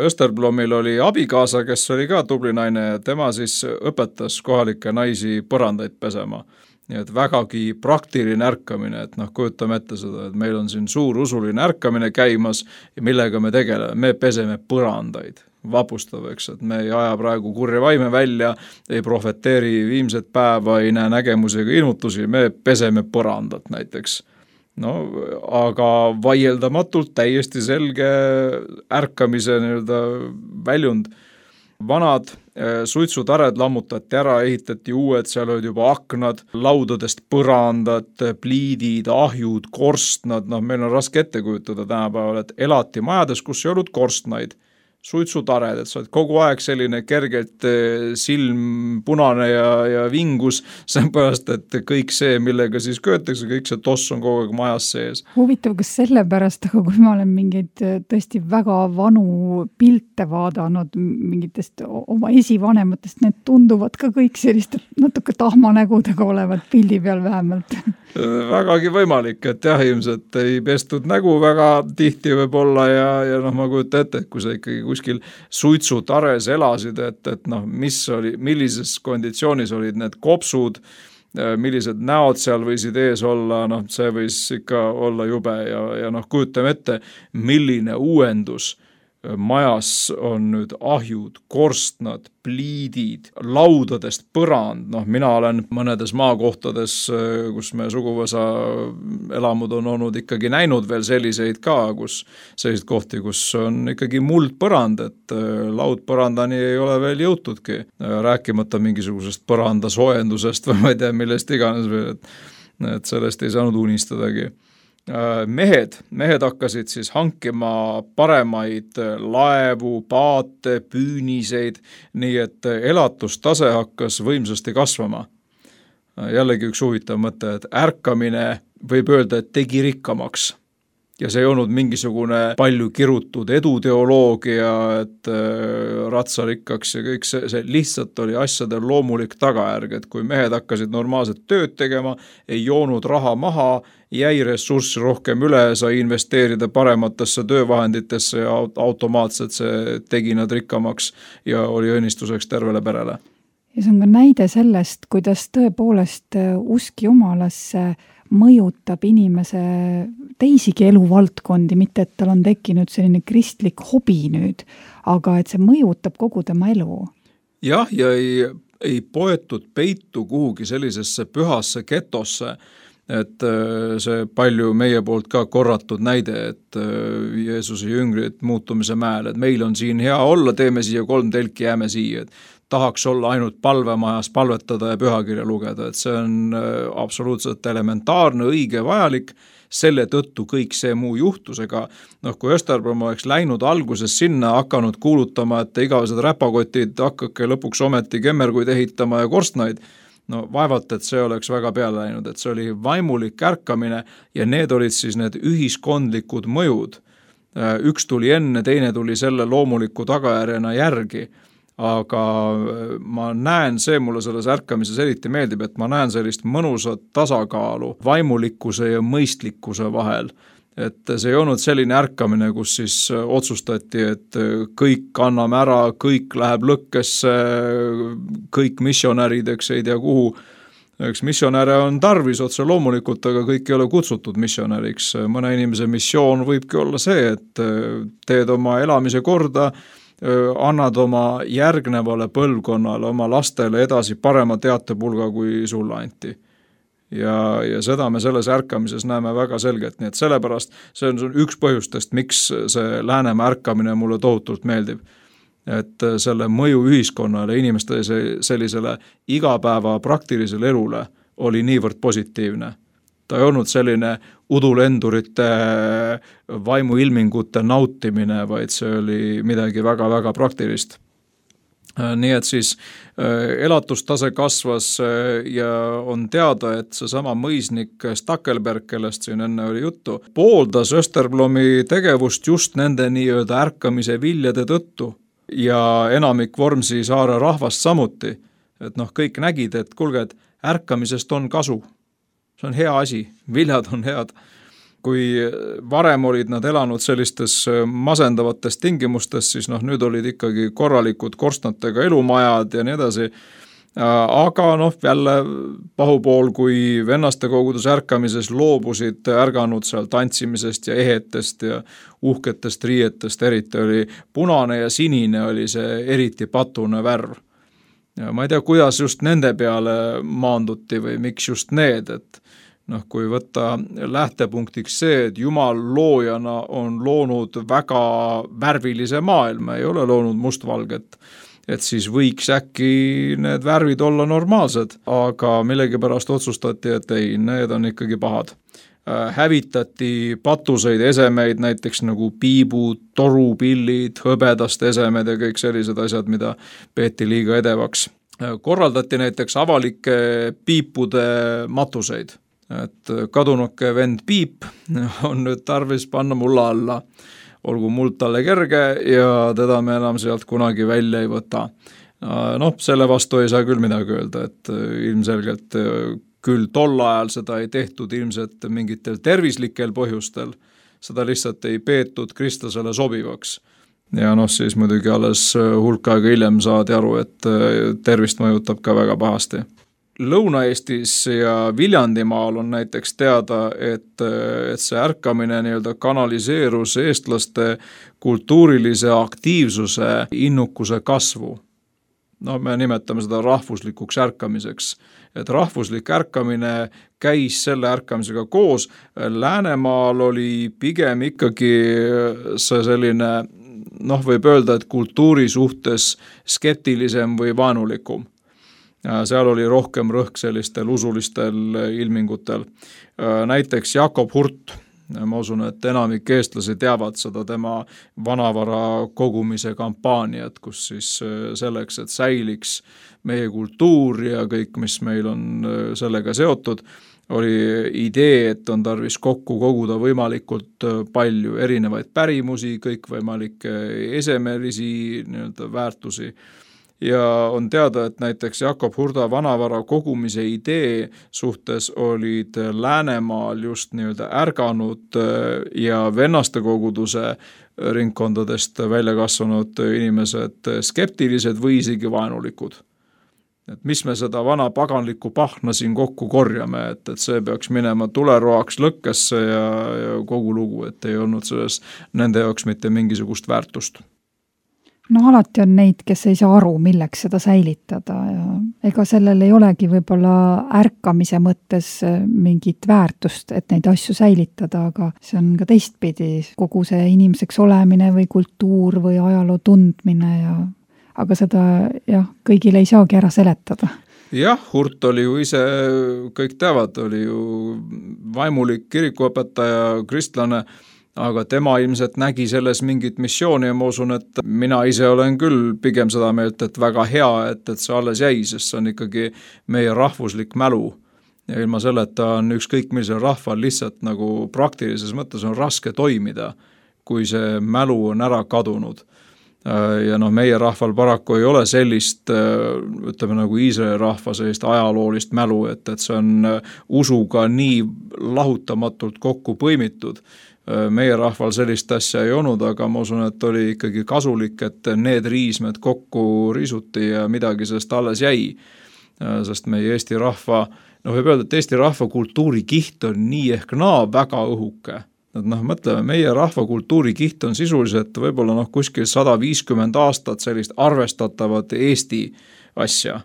Österblomil oli abikaasa, kes oli ka tubli naine ja tema siis õpetas kohalikke naisi põrandaid pesema. Nii et vägagi praktiline ärkamine, et noh, kujutame ette seda, et meil on siin suur usuline ärkamine käimas ja millega me tegeleme, me peseme põrandaid. Vapustav, eks, et me ei aja praegu kurja vaime välja, ei profeteeri viimset päeva, ei näe nägemusi ega ilmutusi, me peseme põrandat näiteks. No, aga vaieldamatult täiesti selge ärkamise nii-öelda väljund. Vanad suitsutared lammutati ära, ehitati uued, seal olid juba aknad, laudadest põrandad, pliidid, ahjud, korstnad, noh, meil on raske ette kujutada tänapäeval, et elati majades, kus ei olnud korstnaid. Suitsutared, et sa oled kogu aeg selline kergelt silm punane ja, ja vingus, seepärast, et kõik see, millega siis köötakse, kõik see toss on kogu aeg majas sees. Huvitav, kas sellepärast, aga kui ma olen mingeid tõesti väga vanu pilte vaadanud mingitest oma esivanematest, need tunduvad ka kõik sellist natuke tahmanägudega olevat pildi peal vähemalt. Vägagi võimalik, et jah, ilmselt ei pestud nägu väga tihti võib-olla ja, ja noh, ma kujutan ette, et kui sa ikkagi kuskil suitsutares elasid, et, et noh, mis oli, millises konditsioonis olid need kopsud, millised näod seal võisid ees olla, noh, see võis ikka olla jube ja, ja noh, kujutame ette, milline uuendus majas on nüüd ahjud, korstnad, pliidid, laudadest põrand, noh, mina olen mõnedes maakohtades, kus me suguvõsa elamud on olnud ikkagi näinud veel selliseid ka, kus selliseid kohti, kus on ikkagi muldpõrand, et laudpõrandani ei ole veel jõutudki, rääkimata mingisugusest põranda soojendusest või ma ei tea, millest iganes veel, et, et sellest ei saanud unistadagi. Mehed, mehed hakkasid siis hankima paremaid laevu, paate, püüniseid, nii et elatustase hakkas võimsasti kasvama. Jällegi üks huvitav mõte, et ärkamine võib öelda, et tegi rikkamaks. Ja see ei olnud mingisugune palju kirutud eduteoloogia, et ratsarikkaks ja kõik see, see lihtsalt oli asjade loomulik tagajärg, et kui mehed hakkasid normaalset tööd tegema, ei joonud raha maha, jäi ressurssi rohkem üle, sai investeerida parematesse töövahenditesse ja automaatselt see tegi nad rikkamaks ja oli õnnistuseks tervele perele. Ja see on ka näide sellest, kuidas tõepoolest usk Jumalasse mõjutab inimese teisigi eluvaldkondi, mitte et tal on tekkinud selline kristlik hobi nüüd, aga et see mõjutab kogu tema elu. Jah, ja ei, ei poetud peitu kuhugi sellisesse pühasse getosse, et see palju meie poolt ka korratud näide, et Jeesuse jüngrid muutumise mäel, et meil on siin hea olla, teeme siia kolm telki, jääme siia, et tahaks olla ainult palvemajas palvetada ja pühakirja lugeda, et see on absoluutselt elementaarne, õige, vajalik, selle tõttu kõik see muu juhtusega, noh kui Österblom oleks läinud alguses sinna, hakanud kuulutama, et igavesed räpakotid hakkake lõpuks ometi kemmerguid ehitama ja korstnaid, no vaevalt, et see oleks väga peale läinud, et see oli vaimulik ärkamine ja need olid siis need ühiskondlikud mõjud. Üks tuli enne, teine tuli selle loomuliku tagajärjena järgi, aga ma näen, see mulle selles ärkamises eriti meeldib, et ma näen sellist mõnusat tasakaalu vaimulikkuse ja mõistlikkuse vahel. Et see ei olnud selline ärkamine, kus siis otsustati, et kõik anname ära, kõik läheb lõkkesse, kõik missionärid, eks ei tea kuhu. Eks missionäre on tarvis otse loomulikult, aga kõik ei ole kutsutud missionäriks. Mõne inimese missioon võibki olla see, et teed oma elamise korda, annad oma järgnevale põlvkonnale, oma lastele edasi parema teatepulga kui sulle anti. Ja, ja seda me selles ärkamises näeme väga selgelt, nii et sellepärast see on üks põhjustest, miks see Läänemaa ärkamine mulle tohutult meeldib. Et selle mõju ühiskonnale, inimeste sellisele igapäeva praktilisele elule oli niivõrd positiivne. Ta ei olnud selline udulendurite vaimuilmingute nautimine, vaid see oli midagi väga-väga praktilist. Nii et siis elatustase kasvas ja on teada, et see sama mõisnik Stackelberg, kellest siin enne oli juttu, pooldas Österblomi tegevust just nende nii-öelda ärkamise viljade tõttu ja enamik Vormsi saare rahvast samuti. Et noh, kõik nägid, et kuulge, et ärkamisest on kasu. See on hea asi, viljad on head. Kui varem olid nad elanud sellistes masendavates tingimustes, siis noh, nüüd olid ikkagi korralikud korstnatega elumajad ja nii edasi. Aga noh, jälle pahupool, kui vennaste kogudus ärkamises loobusid ärganud seal tantsimisest ja ehetest ja uhketest riietest, eriti oli punane ja sinine oli see eriti patune värv. Ja ma ei tea, kuidas just nende peale maanduti või miks just need, et noh, kui võtta lähtepunktiks see, et Jumal loojana on loonud väga värvilise maailma, ei ole loonud mustvalget, et siis võiks äkki need värvid olla normaalsed, aga millegipärast otsustati, et ei, need on ikkagi pahad. Hävitati patuseid esemeid, näiteks nagu piibud, torupillid, hõbedast esemed ja kõik sellised asjad, mida peeti liiga edevaks. Korraldati näiteks avalike piipude matuseid. Et kadunuke vend Piip on nüüd tarvis panna mulla alla. Olgu muld talle kerge ja teda me enam sealt kunagi välja ei võta. Noh, selle vastu ei saa küll midagi öelda, et ilmselgelt küll tol ajal seda ei tehtud ilmselt mingitel tervislikel põhjustel. Seda lihtsalt ei peetud kristlasele sobivaks. Ja noh, siis muidugi alles hulk aega hiljem saadi aru, et tervist mõjutab ka väga pahasti. Lõuna-Eestis ja Viljandimaal on näiteks teada, et, et see ärkamine nii-öelda kanaliseerus eestlaste kultuurilise aktiivsuse innukuse kasvu. No me nimetame seda rahvuslikuks ärkamiseks. Et rahvuslik ärkamine käis selle ärkamisega koos. Läänemaal oli pigem ikkagi see selline, noh võib öelda, et kultuuri suhtes skeptilisem või vaenulikum. Seal oli rohkem rõhk sellistel usulistel ilmingutel. Näiteks Jakob Hurt, ma usun, et enamik eestlasi teavad seda tema vanavara kogumise kampaaniat, kus siis selleks, et säiliks meie kultuur ja kõik, mis meil on sellega seotud, oli idee, et on tarvis kokku koguda võimalikult palju erinevaid pärimusi, kõikvõimalikke esemelisi nii-öelda väärtusi. Ja on teada, et näiteks Jakob Hurda vanavara kogumise idee suhtes olid Läänemaal just nii-öelda ärganud ja vennaste koguduse ringkondadest välja kasvanud inimesed skeptilised või isegi vaenulikud. Et mis me seda vana paganlikku pahna siin kokku korjame, et, et see peaks minema tuleroaks lõkkesse ja, ja kogu lugu, et ei olnud selles nende jaoks mitte mingisugust väärtust. No alati on neid, kes ei saa aru, milleks seda säilitada ja ega sellel ei olegi võib-olla ärkamise mõttes mingit väärtust, et neid asju säilitada, aga see on ka teistpidi kogu see inimeseks olemine või kultuur või ajaloo tundmine ja aga seda jah, kõigile ei saagi ära seletada. Jah, Hurt oli ju ise, kõik teavad, oli ju vaimulik kirikuõpetaja, kristlane, aga tema ilmselt nägi selles mingit missiooni ja ma usun, et mina ise olen küll pigem seda meelt, et väga hea, et, et see alles jäi, sest see on ikkagi meie rahvuslik mälu. Ja ilma selleta on ükskõik millisel rahval lihtsalt nagu praktilises mõttes on raske toimida, kui see mälu on ära kadunud. Ja noh, meie rahval paraku ei ole sellist, ütleme nagu Iisraeli rahva sellist ajaloolist mälu, et, et see on usuga nii lahutamatult kokku põimitud. Meie rahval sellist asja ei olnud, aga ma usun, et oli ikkagi kasulik, et need riismed kokku riisuti ja midagi sellest alles jäi. Sest meie Eesti rahva, noh võib öelda, et Eesti rahva kultuurikiht on nii ehk naa väga õhuke. Et noh, mõtleme, meie rahva kultuurikiht on sisuliselt võib-olla noh, kuskil sada viiskümmend aastat sellist arvestatavat Eesti asja.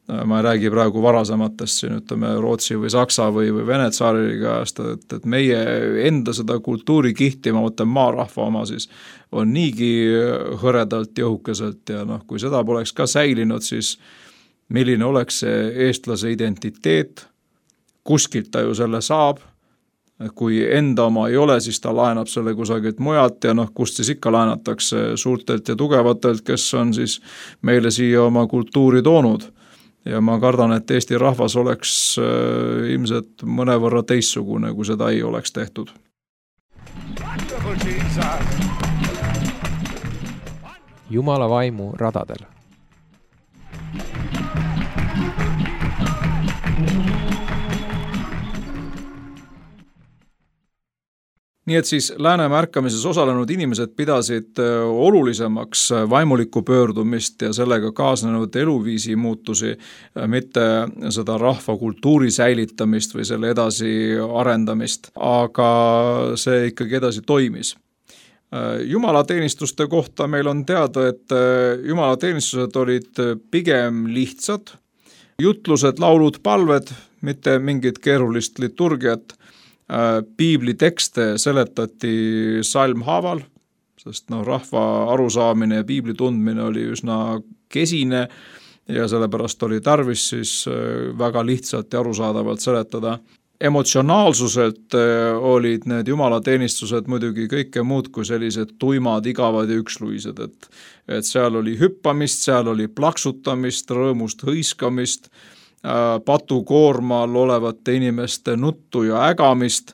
Ma ei räägi praegu varasematest siin, ütleme Rootsi või Saksa või, või Vene tsaariga, et, et meie enda seda kultuurikihti, ma mõtlen maarahva oma siis, on niigi hõredalt ja õhukeselt ja noh, kui seda poleks ka säilinud, siis milline oleks see eestlase identiteet, kuskilt ta ju selle saab, kui enda oma ei ole, siis ta laenab selle kusagilt mujalt ja noh, kust siis ikka laenatakse suurtelt ja tugevatelt, kes on siis meile siia oma kultuuri toonud. Ja ma kardan, et Eesti rahvas oleks äh, ilmselt mõnevõrra teistsugune, kui seda ei oleks tehtud. Jumala vaimu radadel. Nii et siis Läänemaa ärkamises osalenud inimesed pidasid olulisemaks vaimulikku pöördumist ja sellega kaasnenud eluviisi muutusi, mitte seda rahva kultuuri säilitamist või selle edasi arendamist, aga see ikkagi edasi toimis. Jumalateenistuste kohta meil on teada, et jumalateenistused olid pigem lihtsad, jutlused, laulud, palved, mitte mingit keerulist liturgiat. Piibli tekste seletati salmhaaval, sest no, rahva arusaamine ja piibli tundmine oli üsna kesine ja sellepärast oli tarvis siis väga lihtsalt ja arusaadavalt seletada. Emotsionaalsuselt olid need jumalateenistused muidugi kõike muud kui sellised tuimad, igavad ja üksluised, et, et seal oli hüppamist, seal oli plaksutamist, rõõmust hõiskamist, patukoormal olevate inimeste nuttu ja ägamist.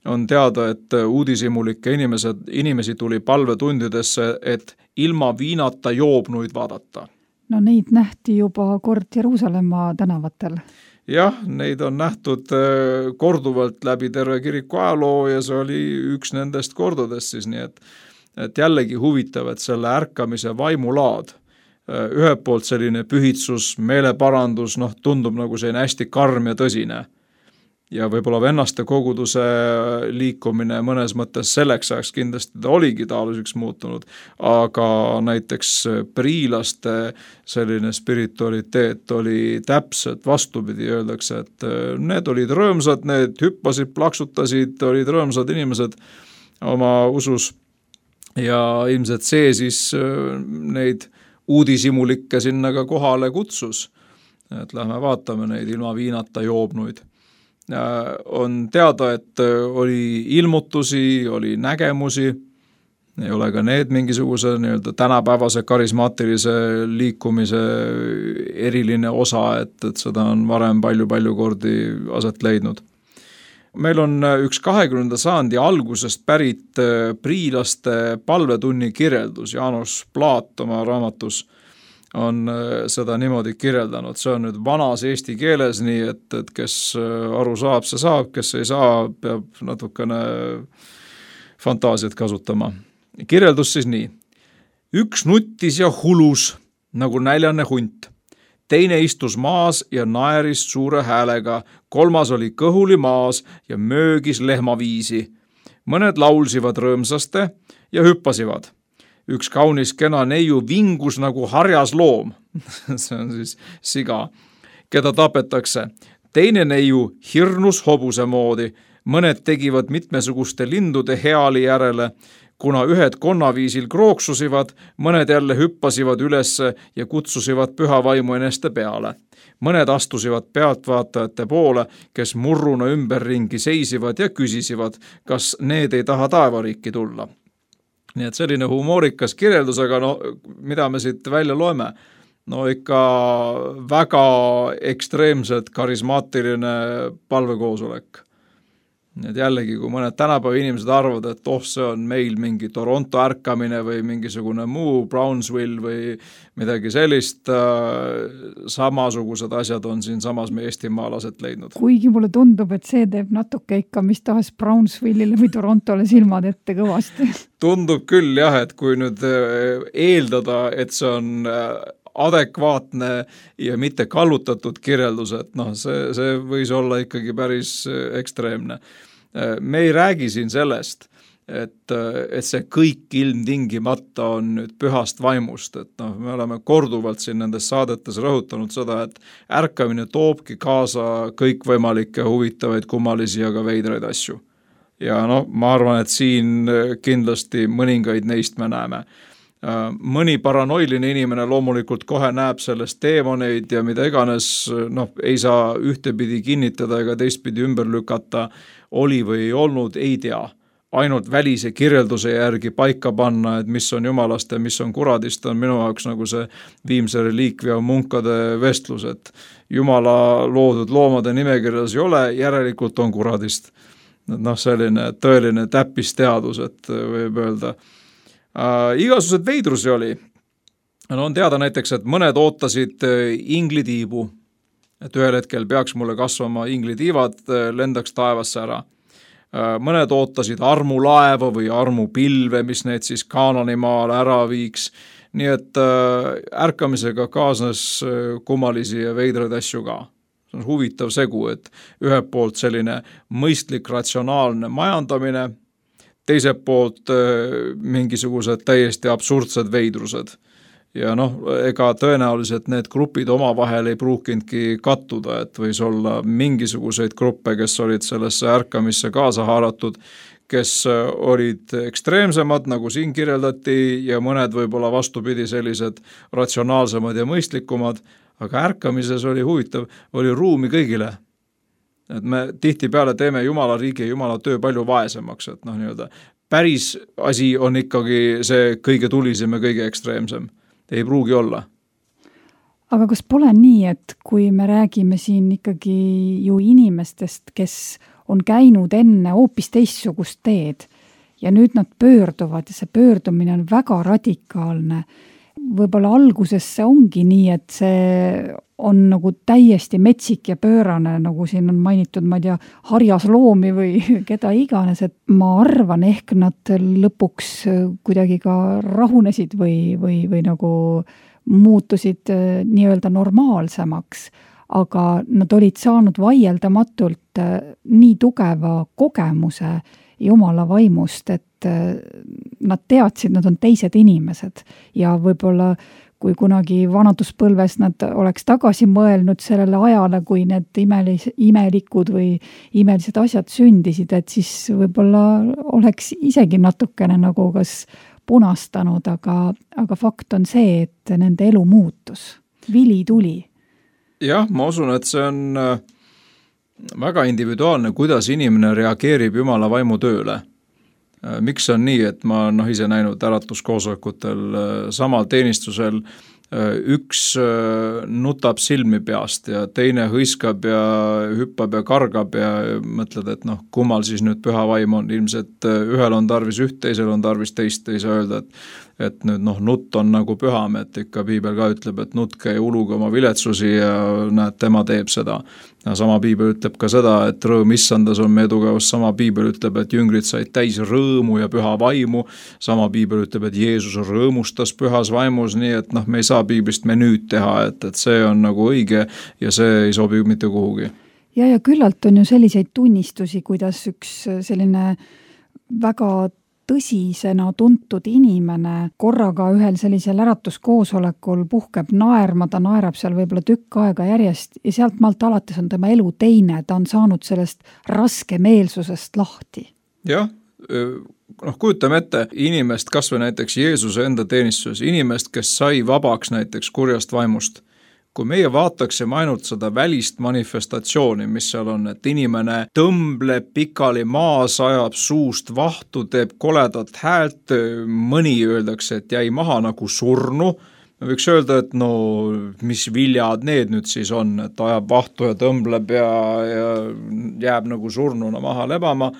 On teada, et uudishimulikke inimesed, inimesi tuli palvetundidesse, et ilma viinata joobnuid vaadata. No neid nähti juba kord Jeruusalemma tänavatel. Jah, neid on nähtud korduvalt läbi terve kiriku ajaloo ja see oli üks nendest kordadest siis, nii et, et jällegi huvitav, et selle ärkamise vaimulaad, ühelt poolt selline pühitsus, meeleparandus, noh, tundub nagu selline hästi karm ja tõsine. Ja võib-olla vennaste koguduse liikumine mõnes mõttes selleks ajaks kindlasti ta oligi taoliseks muutunud, aga näiteks priilaste selline spiritualiteet oli täpselt vastupidi, öeldakse, et need olid rõõmsad, need hüppasid, plaksutasid, olid rõõmsad inimesed oma usus ja ilmselt see siis neid uudishimulikke sinna ka kohale kutsus, et lähme vaatame neid ilma viinata joobnuid. On teada, et oli ilmutusi, oli nägemusi, ei ole ka need mingisuguse nii-öelda tänapäevase karismaatilise liikumise eriline osa, et, et seda on varem palju-palju kordi aset leidnud. Meil on üks kahekümnenda sajandi algusest pärit priilaste palvetunni kirjeldus. Jaanus Plaat oma raamatus on seda niimoodi kirjeldanud. See on nüüd vanas eesti keeles nii, et, et kes aru saab, see saab, kes ei saa, peab natukene fantaasiat kasutama. Kirjeldus siis nii. Üks nuttis ja hulus nagu näljane hunt. Teine istus maas ja naeris suure häälega, kolmas oli kõhuli maas ja möögis lehmaviisi. Mõned laulsivad rõõmsaste ja hüppasivad. Üks kaunis kena neiu vingus nagu harjas loom, see on siis siga, keda tapetakse. Teine neiu hirnus hobuse moodi, mõned tegivad mitmesuguste lindude heali järele, kuna ühed konnaviisil krooksusivad, mõned jälle hüppasivad ülesse ja kutsusivad püha vaimu eneste peale. Mõned astusivad pealtvaatajate poole, kes murruna ümberringi seisivad ja küsisivad, kas need ei taha taevariiki tulla. Nii et selline humoorikas kirjeldus, aga no, mida me siit välja loeme? No ikka väga ekstreemselt karismaatiline palvekoosolek. Need jällegi, kui mõned tänapäeva inimesed arvavad, et oh, see on meil mingi Toronto ärkamine või mingisugune muu Brownsville või midagi sellist, samasugused asjad on siin samas me Eestimaal aset leidnud. Kuigi mulle tundub, et see teeb natuke ikka mis tahes Brownsville'ile või Torontole silmad ette kõvasti. Tundub küll jah, et kui nüüd eeldada, et see on adekvaatne ja mitte kallutatud kirjeldus, et noh, see, see võis olla ikkagi päris ekstreemne. Me ei räägi siin sellest, et, et see kõik ilmtingimata on nüüd pühast vaimust, et noh, me oleme korduvalt siin nendes saadetes rõhutanud seda, et ärkamine toobki kaasa kõikvõimalikke huvitavaid, kummalisi ja ka veidraid asju. Ja no, ma arvan, et siin kindlasti mõningaid neist me näeme. mõni paranoiline inimene loomulikult kohe näeb sellest teemoneid ja mida iganes, noh, ei saa ühtepidi kinnitada ega teistpidi ümber lükata, oli või ei olnud, ei tea. Ainult välise kirjelduse järgi paika panna, et mis on jumalast ja mis on kuradist, on minu jaoks nagu see viimse reliikvia munkade vestlus, et jumala loodud loomade nimekirjas ei ole, järelikult on kuradist. Noh, selline tõeline täppisteadus, et võib öelda. Äh, igasugused veidrusi oli. No on teada näiteks, et mõned ootasid inglitiibu, et ühel hetkel peaks mulle kasvama inglitiivad, lendaks taevasse ära. Mõned ootasid armulaeva või armupilve, mis need siis Kaananimaale ära viiks. Nii et ärkamisega kaasnes kummalisi ja veidraid asju ka. See on huvitav segu, et ühelt poolt selline mõistlik, ratsionaalne majandamine, teiselt poolt mingisugused täiesti absurdsed veidrused. Ja noh, ega tõenäoliselt need grupid omavahel ei pruukindki kattuda, et võis olla mingisuguseid gruppe, kes olid sellesse ärkamisse kaasa haaratud, kes olid ekstreemsemad, nagu siin kirjeldati, ja mõned võib-olla vastupidi sellised ratsionaalsemad ja mõistlikumad, aga ärkamises oli huvitav, oli ruumi kõigile. Et me tihtipeale teeme Jumala riigi ja Jumala töö palju vaesemaks, et noh, nii-öelda päris asi on ikkagi see kõige tulisem ja kõige ekstreemsem. Ei pruugi olla. Aga kas pole nii, et kui me räägime siin ikkagi ju inimestest, kes on käinud enne hoopis teistsugust teed ja nüüd nad pöörduvad ja see pöördumine on väga radikaalne. Võib-olla alguses see ongi nii, et see on nagu täiesti metsik ja pöörane, nagu siin on mainitud, ma ei tea, harjas loomi või keda iganes, et ma arvan, ehk nad lõpuks kuidagi ka rahunesid või, või, või nagu muutusid nii-öelda normaalsemaks, aga nad olid saanud vaieldamatult nii tugeva kogemuse Jumala vaimust, et nad teadsid, nad on teised inimesed ja võib-olla kui kunagi vanaduspõlves nad oleks tagasi mõelnud sellele ajale, kui need imelis, imelikud või imelised asjad sündisid, et siis võib-olla oleks isegi natukene nagu kas punastanud, aga, aga fakt on see, et nende elu muutus. Vili tuli. Jah, ma usun, et see on väga individuaalne, kuidas inimene reageerib Jumala vaimu tööle. Miks on nii, et ma noh, ise näinud äratuskoosolekutel samal teenistusel üks nutab silmi peast ja teine hõiskab ja hüppab ja kargab ja mõtled, et noh, kummal siis nüüd püha vaim on. Ilmselt ühel on tarvis üht, teisel on tarvis teist, ei saa öelda, et, et nüüd noh, nutt on nagu püham, et ikka piibel ka ütleb, et nutke ja uluge oma viletsusi ja näed, tema teeb seda. Ja sama piibel ütleb ka seda, et rõõm issandas on meie tugevus, sama piibel ütleb, et jüngrid said täis rõõmu ja püha vaimu, sama piibel ütleb, et Jeesus rõõmustas pühas vaimus, nii et noh, me ei saa piiblist menüüd teha, et, et see on nagu õige ja see ei sobi mitte kuhugi. Ja, ja küllalt on ju selliseid tunnistusi, kuidas üks selline väga tõsisena tuntud inimene korraga ühel sellisel äratuskoosolekul puhkeb naerma, ta naerab seal võib-olla tükk aega järjest ja sealt maalt alates on tema elu teine, ta on saanud sellest raske meelsusest lahti. Jah, noh kujutame ette inimest, kas või näiteks Jeesuse enda teenistuses, inimest, kes sai vabaks näiteks kurjast vaimust. Kui meie vaataksime ainult seda välist manifestatsiooni, mis seal on, et inimene tõmbleb pikali maas, ajab suust vahtu, teeb koledat häält, mõni öeldakse, et jäi maha nagu surnu, me võiks öelda, et no mis viljad need nüüd siis on, et ajab vahtu ja tõmbleb ja, ja jääb nagu surnuna maha lebama.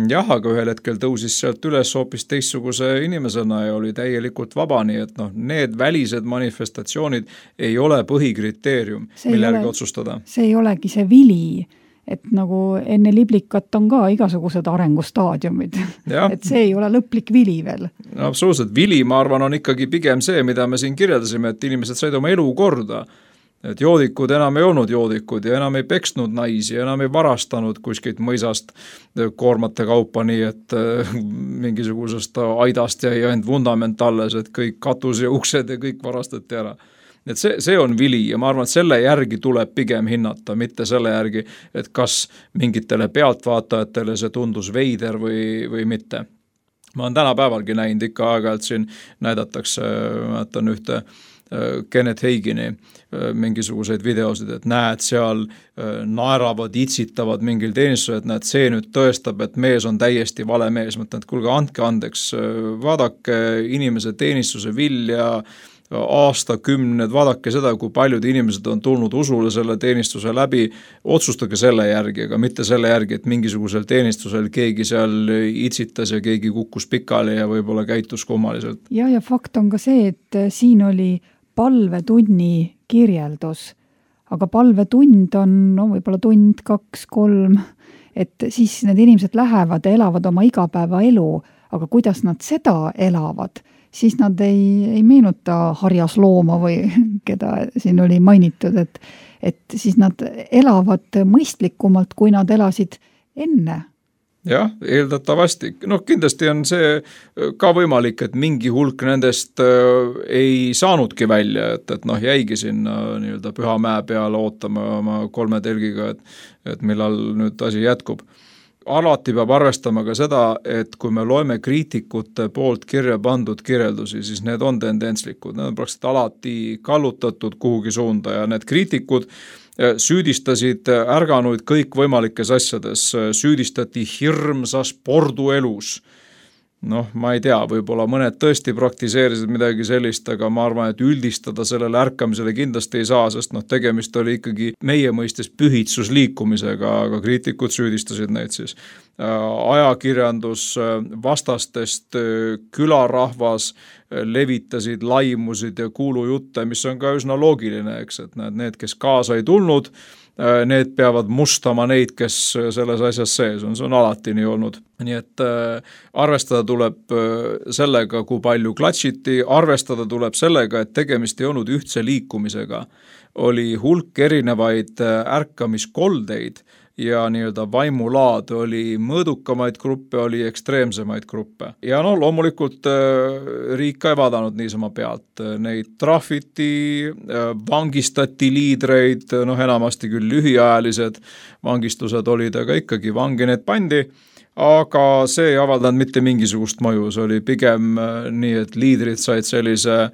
Jah, aga ühel hetkel tõusis sealt üles hoopis teistsuguse inimesena ja oli täielikult vaba, nii et noh, need välised manifestatsioonid ei ole põhikriteerium, mille järgi otsustada. See ei olegi see vili, et nagu enne liblikat on ka igasugused arengustaadiumid, et see ei ole lõplik vili veel. No, absoluutselt, vili, ma arvan, on ikkagi pigem see, mida me siin kirjeldasime, et inimesed said oma elu korda. Et joodikud enam ei olnud joodikud ja enam ei peksnud naisi, enam ei varastanud kuskilt mõisast koormate kaupa, nii et mingisugusest aidast jäi ainult vundament alles, et kõik katus ja uksed ja kõik varastati ära. Et see, see on vili ja ma arvan, et selle järgi tuleb pigem hinnata, mitte selle järgi, et kas mingitele pealtvaatajatele see tundus veider või, või mitte. ma olen tänapäevalgi näinud ikka aeg-ajalt siin näidatakse, mäletan ühte Kenneth Hagini mingisuguseid videosid, et näed seal naeravad, itsitavad mingil teenistusel, et näed, see nüüd tõestab, et mees on täiesti vale mees. Mõtlen, et kuulge, andke andeks, vaadake inimese teenistuse vilja, aastakümned, vaadake seda, kui paljud inimesed on tulnud usule selle teenistuse läbi, otsustage selle järgi, aga mitte selle järgi, et mingisugusel teenistusel keegi seal itsitas ja keegi kukkus pikali ja võib-olla käitus kummaliselt. Ja, ja fakt on ka see, et siin oli palvetunni kirjeldus, aga palvetund on no, võib-olla tund, kaks, kolm, et siis need inimesed lähevad ja elavad oma igapäeva elu, aga kuidas nad seda elavad, siis nad ei, ei meenuta harjas looma või keda siin oli mainitud, et, et siis nad elavad mõistlikumalt, kui nad elasid enne. Jah, eeldatavasti. No kindlasti on see ka võimalik, et mingi hulk nendest ei saanudki välja, et, et noh, jäigi sinna nii-öelda Püha mäe peale ootama oma kolme telgiga, et, et millal nüüd asi jätkub. Alati peab arvestama ka seda, et kui me loeme kriitikute poolt kirja pandud kirjeldusi, siis need on tendentslikud, need on praktiliselt alati kallutatud kuhugi suunda ja need kriitikud süüdistasid ärganuid kõik võimalikes asjades, süüdistati hirmsas porduelus. Noh, ma ei tea, võib-olla mõned tõesti praktiseerisid midagi sellist, aga ma arvan, et üldistada sellele ärkamisele kindlasti ei saa, sest noh, tegemist oli ikkagi meie mõistes pühitsusliikumisega, aga kriitikud süüdistasid neid siis. Ajakirjandus vastastest külarahvas levitasid, laimusid ja kuulujutte, mis on ka üsna loogiline, eks, et need, need, kes kaasa ei tulnud, need peavad mustama neid, kes selles asjas sees on, see on alati nii olnud. Nii et äh, arvestada tuleb sellega, kui palju klatšiti, arvestada tuleb sellega, et tegemist ei olnud ühtse liikumisega. Oli hulk erinevaid ärkamiskoldeid ja nii-öelda vaimulaad oli mõõdukamaid gruppe, oli ekstreemsemaid gruppe. Ja no loomulikult äh, riik ka ei vaadanud niisama pealt. Neid trahviti, äh, vangistati liidreid, noh enamasti küll lühiajalised vangistused olid, aga ikkagi vangi need pandi, aga see ei avaldanud mitte mingisugust mõju, see oli pigem äh, nii, et liidrid said sellise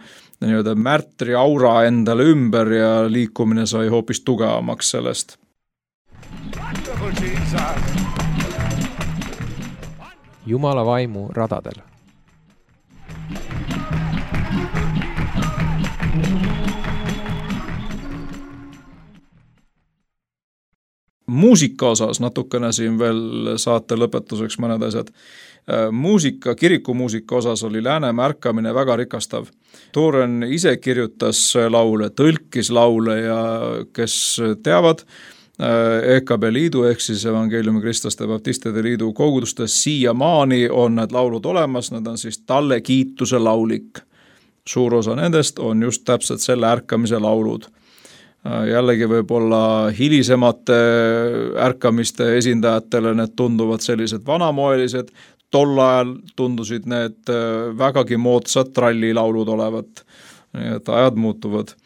nii-öelda märtri aura endale ümber ja liikumine sai hoopis tugevamaks sellest. Jumala vaimu radadel. Muusika osas natukene siin veel saate lõpetuseks mõned asjad. Muusika, kirikumuusika osas oli Läänemaa ärkamine väga rikastav. Tooren ise kirjutas laule, tõlkis laule ja kes teavad, E K B liidu ehk siis Evangeliumi Kristlaste Baptistide liidu kogudustes siiamaani on need laulud olemas, need on siis talle kiituse laulik. Suur osa nendest on just täpselt selle ärkamise laulud. Jällegi võib-olla hilisemate ärkamiste esindajatele need tunduvad sellised vanamoelised, tol ajal tundusid need vägagi moodsad trallilaulud olevat, nii et ajad muutuvad.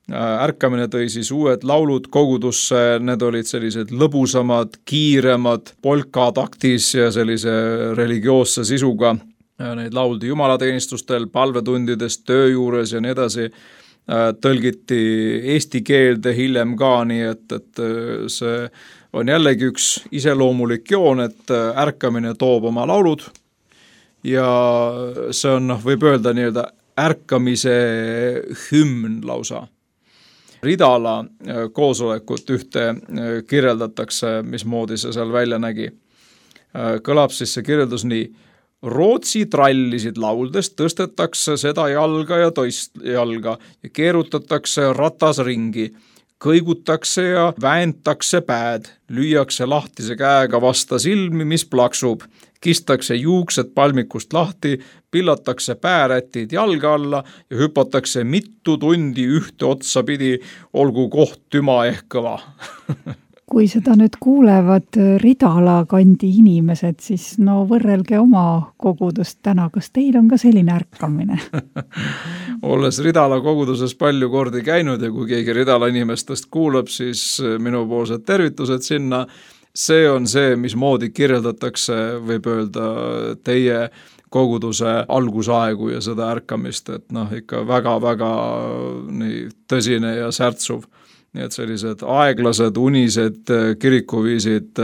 Ärkamine tõi siis uued laulud kogudusse, need olid sellised lõbusamad, kiiremad, polkataktis ja sellise religioosse sisuga. Neid lauldi jumalateenistustel, palvetundides, töö juures ja nii edasi. Tõlgiti eesti keelde hiljem ka, nii et, et see on jällegi üks iseloomulik joon, et ärkamine toob oma laulud ja see on, võib öelda nii-öelda ärkamise hümn lausa. Ridala koosolekut ühte kirjeldatakse, mismoodi see seal välja nägi. Kõlab siis see kirjeldus nii: Rootsi trallisid lauldes tõstetakse seda jalga ja toist jalga ja keerutatakse ratas ringi, kõigutakse ja vääntakse pääd, lüüakse lahtise käega vasta silmi, mis plaksub, kistakse juuksed palmikust lahti, pillatakse päärätid jalga alla ja hüpatakse mitu tundi ühte otsa pidi, olgu koht tüma ehk kõva. Kui seda nüüd kuulevad Ridala kandi inimesed, siis no võrrelge oma kogudust täna, kas teil on ka selline ärkamine? Olles Ridala koguduses palju kordi käinud ja kui keegi Ridala inimestest kuulab, siis minupoolsed tervitused sinna. See on see, mismoodi kirjeldatakse, võib öelda, teie koguduse algusaegu ja seda ärkamist, et noh, ikka väga-väga nii tõsine ja särtsuv. Nii et sellised aeglased, unised kirikuviisid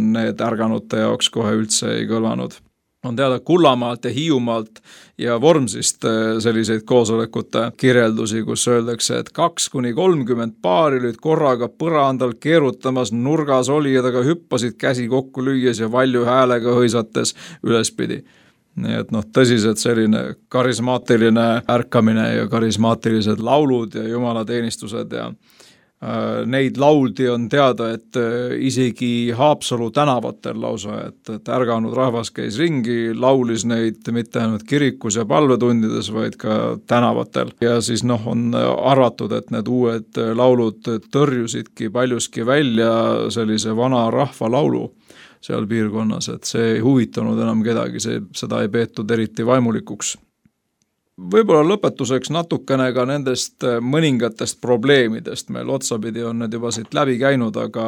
need ärganute jaoks kohe üldse ei kõlvanud. On teada Kullamaalt ja Hiiumaalt ja Vormsist selliseid koosolekute kirjeldusi, kus öeldakse, et kaks kuni kolmkümmend paari olid korraga põrandal keerutamas, nurgas olijadaga hüppasid käsi kokku lüües ja valju häälega hõisates ülespidi. Nii et noh, tõsiselt selline karismaatiline ärkamine ja karismaatilised laulud ja jumalateenistused ja neid lauldi on teada, et isegi Haapsalu tänavatel lausa, et, et ärganud rahvas käis ringi, laulis neid mitte ainult kirikus ja palvetundides, vaid ka tänavatel. Ja siis noh, on arvatud, et need uued laulud tõrjusidki paljuski välja sellise vana rahva laulu seal piirkonnas, et see ei huvitanud enam kedagi, see, seda ei peetud eriti vaimulikuks. Võib-olla lõpetuseks natukene ka nendest mõningatest probleemidest, meil otsapidi on need juba siit läbi käinud, aga,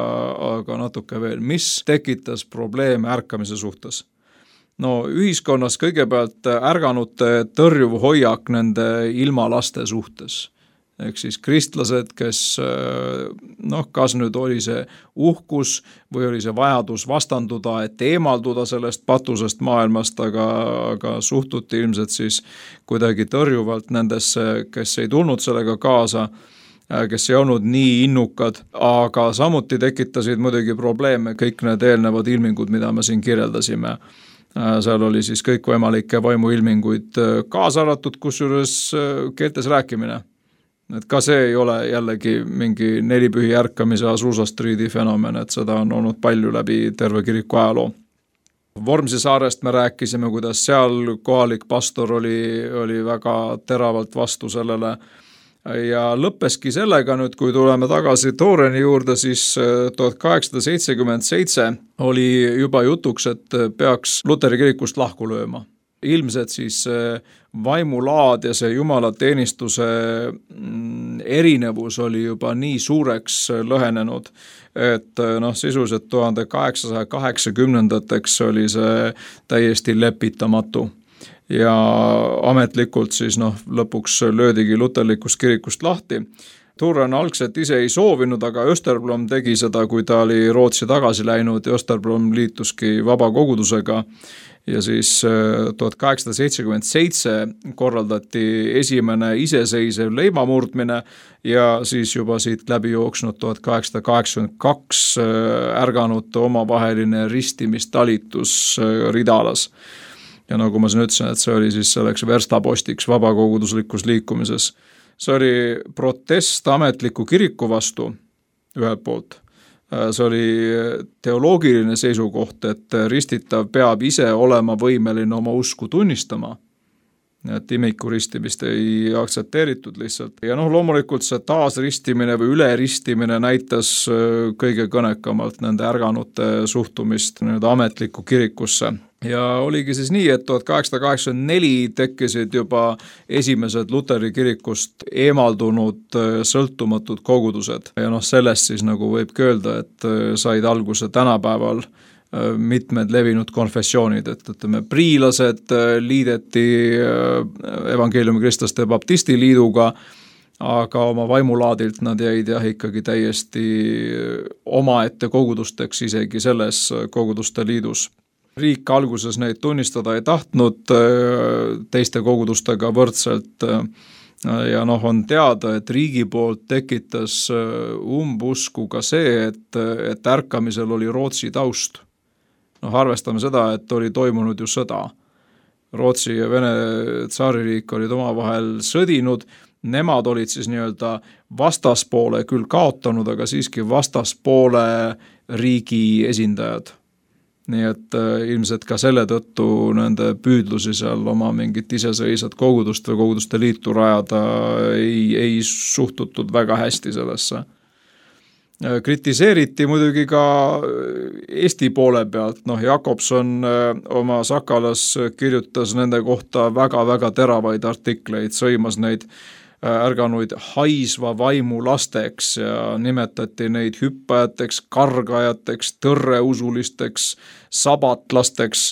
aga natuke veel, mis tekitas probleeme ärkamise suhtes? No ühiskonnas kõigepealt ärganute tõrjuv hoiak nende ilmalaste suhtes. Ehk siis kristlased, kes noh, kas nüüd oli see uhkus või oli see vajadus vastanduda, et eemalduda sellest patusest maailmast, aga, aga suhtuti ilmselt siis kuidagi tõrjuvalt nendesse, kes ei tulnud sellega kaasa, kes ei olnud nii innukad, aga samuti tekitasid muidugi probleeme kõik need eelnevad ilmingud, mida me siin kirjeldasime. Seal oli siis kõikvõimalikke vaimuilminguid kaasa arvatud, kusjuures keeltes rääkimine. Et ka see ei ole jällegi mingi nelipühi ärkamise Azusa Streeti fenomen, et seda on olnud palju läbi terve kiriku ajaloo. Vormsi saarest me rääkisime, kuidas seal kohalik pastor oli, oli väga teravalt vastu sellele ja lõppeski sellega nüüd, kui tuleme tagasi Tooreni juurde, siis tuhat kaheksasada seitsekümmend seitse oli juba jutuks, et peaks Luteri kirikust lahku lööma. Ilmselt siis vaimulaad ja see jumalateenistuse erinevus oli juba nii suureks lõhenenud, et noh, sisuliselt tuhande kaheksasaja kaheksakümnendateks oli see täiesti lepitamatu. Ja ametlikult siis noh, lõpuks löödigi luterlikust kirikust lahti. Tuuren algselt ise ei soovinud, aga Österblom tegi seda, kui ta oli Rootsi tagasi läinud ja Österblom liituski vaba kogudusega. Ja siis tuhat kaheksasada seitsekümmend seitse korraldati esimene iseseisev leibamurdmine ja siis juba siit läbi jooksnud tuhat kaheksasada kaheksakümmend kaks ärganute omavaheline ristimistalitus Ridalas. Ja nagu ma siin ütlesin, et see oli siis selleks verstapostiks vabakoguduslikus liikumises. See oli protest ametliku kiriku vastu ühelt poolt. See oli teoloogiline seisukoht, et ristitav peab ise olema võimeline oma usku tunnistama. Et imiku ristimist ei aktsepteeritud lihtsalt. Ja noh, loomulikult see taasristimine või üleristimine näitas kõige kõnekamalt nende ärganute suhtumist nii-öelda ametlikku kirikusse. Ja oligi siis nii, et tuhat kaheksasada kaheksakümmend neli tekkisid juba esimesed Luteri kirikust eemaldunud sõltumatud kogudused. Ja noh, sellest siis nagu võibki öelda, et said alguse tänapäeval mitmed levinud konfessioonid, et ütleme, priilased liideti evangeeliumi kristlaste baptisti liiduga, aga oma vaimulaadilt nad jäid jah ikkagi täiesti omaette kogudusteks isegi selles koguduste liidus. Riik alguses neid tunnistada ei tahtnud teiste kogudustega võrdselt ja noh, on teada, et riigi poolt tekitas umbusku ka see, et, et ärkamisel oli Rootsi taust. Noh, arvestame seda, et oli toimunud ju sõda. Rootsi ja Vene tsaaririik olid omavahel sõdinud, nemad olid siis nii-öelda vastaspoole küll kaotanud, aga siiski vastaspoole riigi esindajad. Nii et ilmselt ka selle tõttu nende püüdlusi seal oma mingit iseseisvat kogudust või koguduste liitu rajada ei, ei suhtutud väga hästi sellesse. Kritiseeriti muidugi ka Eesti poole pealt, noh Jakobson oma Sakalas kirjutas nende kohta väga-väga teravaid artikleid, sõimas neid ärganuid haisva vaimu lasteks ja nimetati neid hüppajateks, kargajateks, tõrreusulisteks, sabatlasteks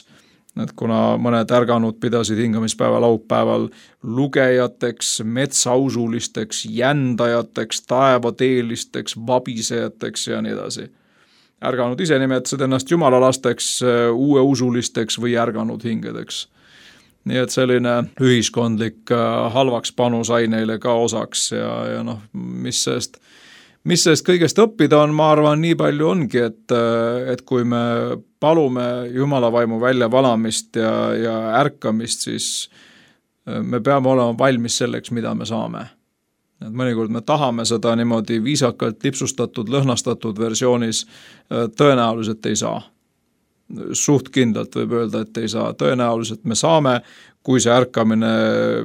et kuna mõned ärganud pidasid hingamispäeva laupäeval lugejateks, metsausulisteks, jändajateks, taevateelisteks, vabisejateks ja nii edasi. Ärganud ise nimetasid ennast jumalalasteks, uueusulisteks või ärganud hingedeks. Nii et selline ühiskondlik halvaks panu sai neile ka osaks ja, ja noh, mis sellest Mis sellest kõigest õppida on, ma arvan, nii palju ongi, et, et kui me palume Jumala vaimu välja valamist ja, ja ärkamist, siis me peame olema valmis selleks, mida me saame. Et mõnikord me tahame seda niimoodi viisakalt lipsustatud, lõhnastatud versioonis, tõenäoliselt ei saa. Suht kindlalt võib öelda, et ei saa. Tõenäoliselt me saame, kui see ärkamine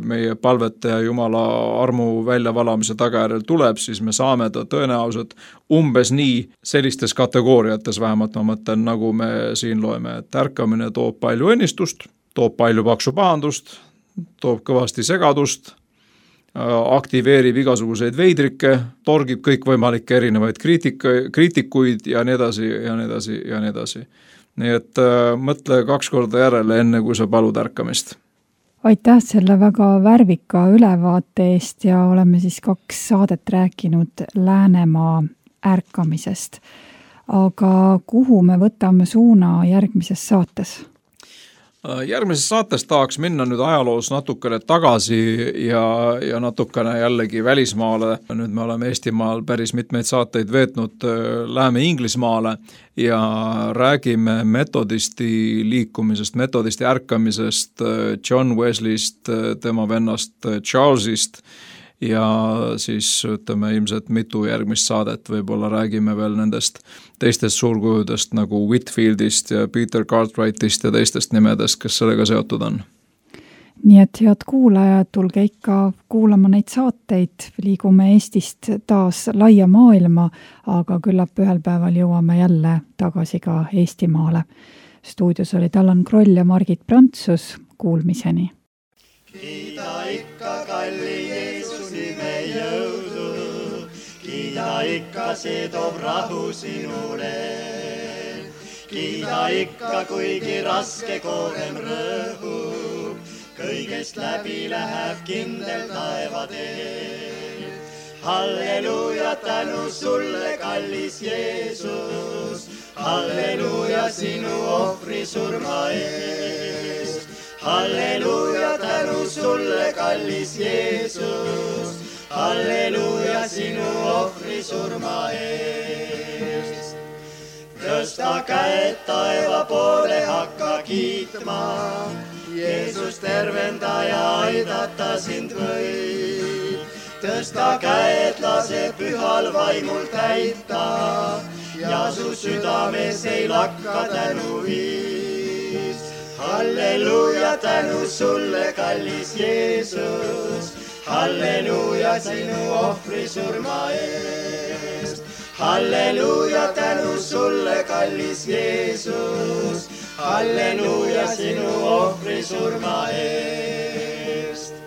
meie palvete ja Jumala armu väljavalamise tagajärjel tuleb, siis me saame ta tõenäoliselt umbes nii sellistes kategooriates, vähemalt ma mõtlen, nagu me siin loeme, et ärkamine toob palju õnnistust, toob palju paksu pahandust, toob kõvasti segadust, aktiveerib igasuguseid veidrikke, torgib kõikvõimalikke erinevaid kriitika, kriitikuid ja nii edasi ja nii edasi ja nii edasi. Nii et äh, mõtle kaks korda järele, enne kui sa palud ärkamist. Aitäh selle väga värvika ülevaate eest ja oleme siis kaks saadet rääkinud Läänemaa ärkamisest. Aga kuhu me võtame suuna järgmises saates? Järgmises saates tahaks minna nüüd ajaloos natukene tagasi ja, ja natukene jällegi välismaale. Nüüd me oleme Eestimaal päris mitmeid saateid veetnud, läheme Inglismaale ja räägime metodisti liikumisest, metodisti ärkamisest, John Wesleyst, tema vennast Charlesist ja siis ütleme ilmselt mitu järgmist saadet, võib-olla räägime veel nendest teistest suurkujudest nagu Whitfieldist ja Peter Cartwrightist ja teistest nimedest, kes sellega seotud on. Nii et head kuulajad, tulge ikka kuulama neid saateid, liigume Eestist taas laia maailma, aga küllap ühel päeval jõuame jälle tagasi ka Eestimaale. Stuudios olid Allan Kroll ja Margit Prantsus, kuulmiseni. Kiida ikka kalli Jeesus nime jõudu, kiida ikka see toob rahu sinule. Kiida ikka kuigi raske koorem rõhub, kõigest läbi läheb kindel taevateel. Halleluja, tänu sulle kallis Jeesus, halleluja sinu ohvri surma eest. Halleluja, tänu sulle, kallis Jeesus, halleluja sinu ohvri surma eest. Tõsta käed taeva poole, hakka kiitma, Jeesus tervendaja aidata sind võib. Tõsta käed, lase pühal vaimul täita ja su südames ei lakka tänu viis. Halleluja, tänu sulle, kallis Jeesus, halleluja sinu ohvri surma eest. Halleluja, tänu sulle, kallis Jeesus, halleluja sinu ohvri surma eest.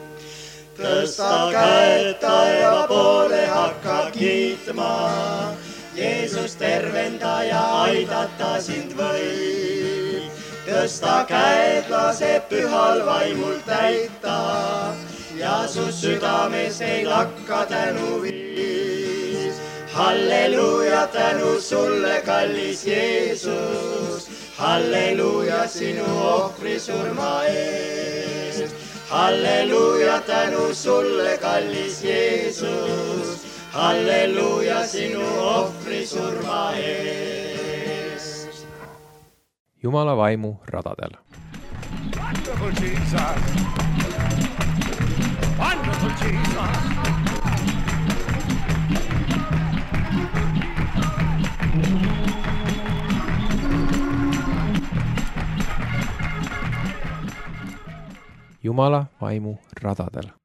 Tõsta käed taeva poole, hakka kiitma, Jeesus tervendaja aidata sind võib. Tõsta käed, lase pühal vaimul täita ja su südames ei lakka tänu viis. Halleluja, tänu sulle, kallis Jeesus, halleluja sinu ohvri surma eest. Halleluja, tänu sulle, kallis Jeesus, halleluja sinu ohvri surma eest. Jumala vaimu radadel. Wonderful Jesus. Wonderful Jesus. Jumala vaimu radadel.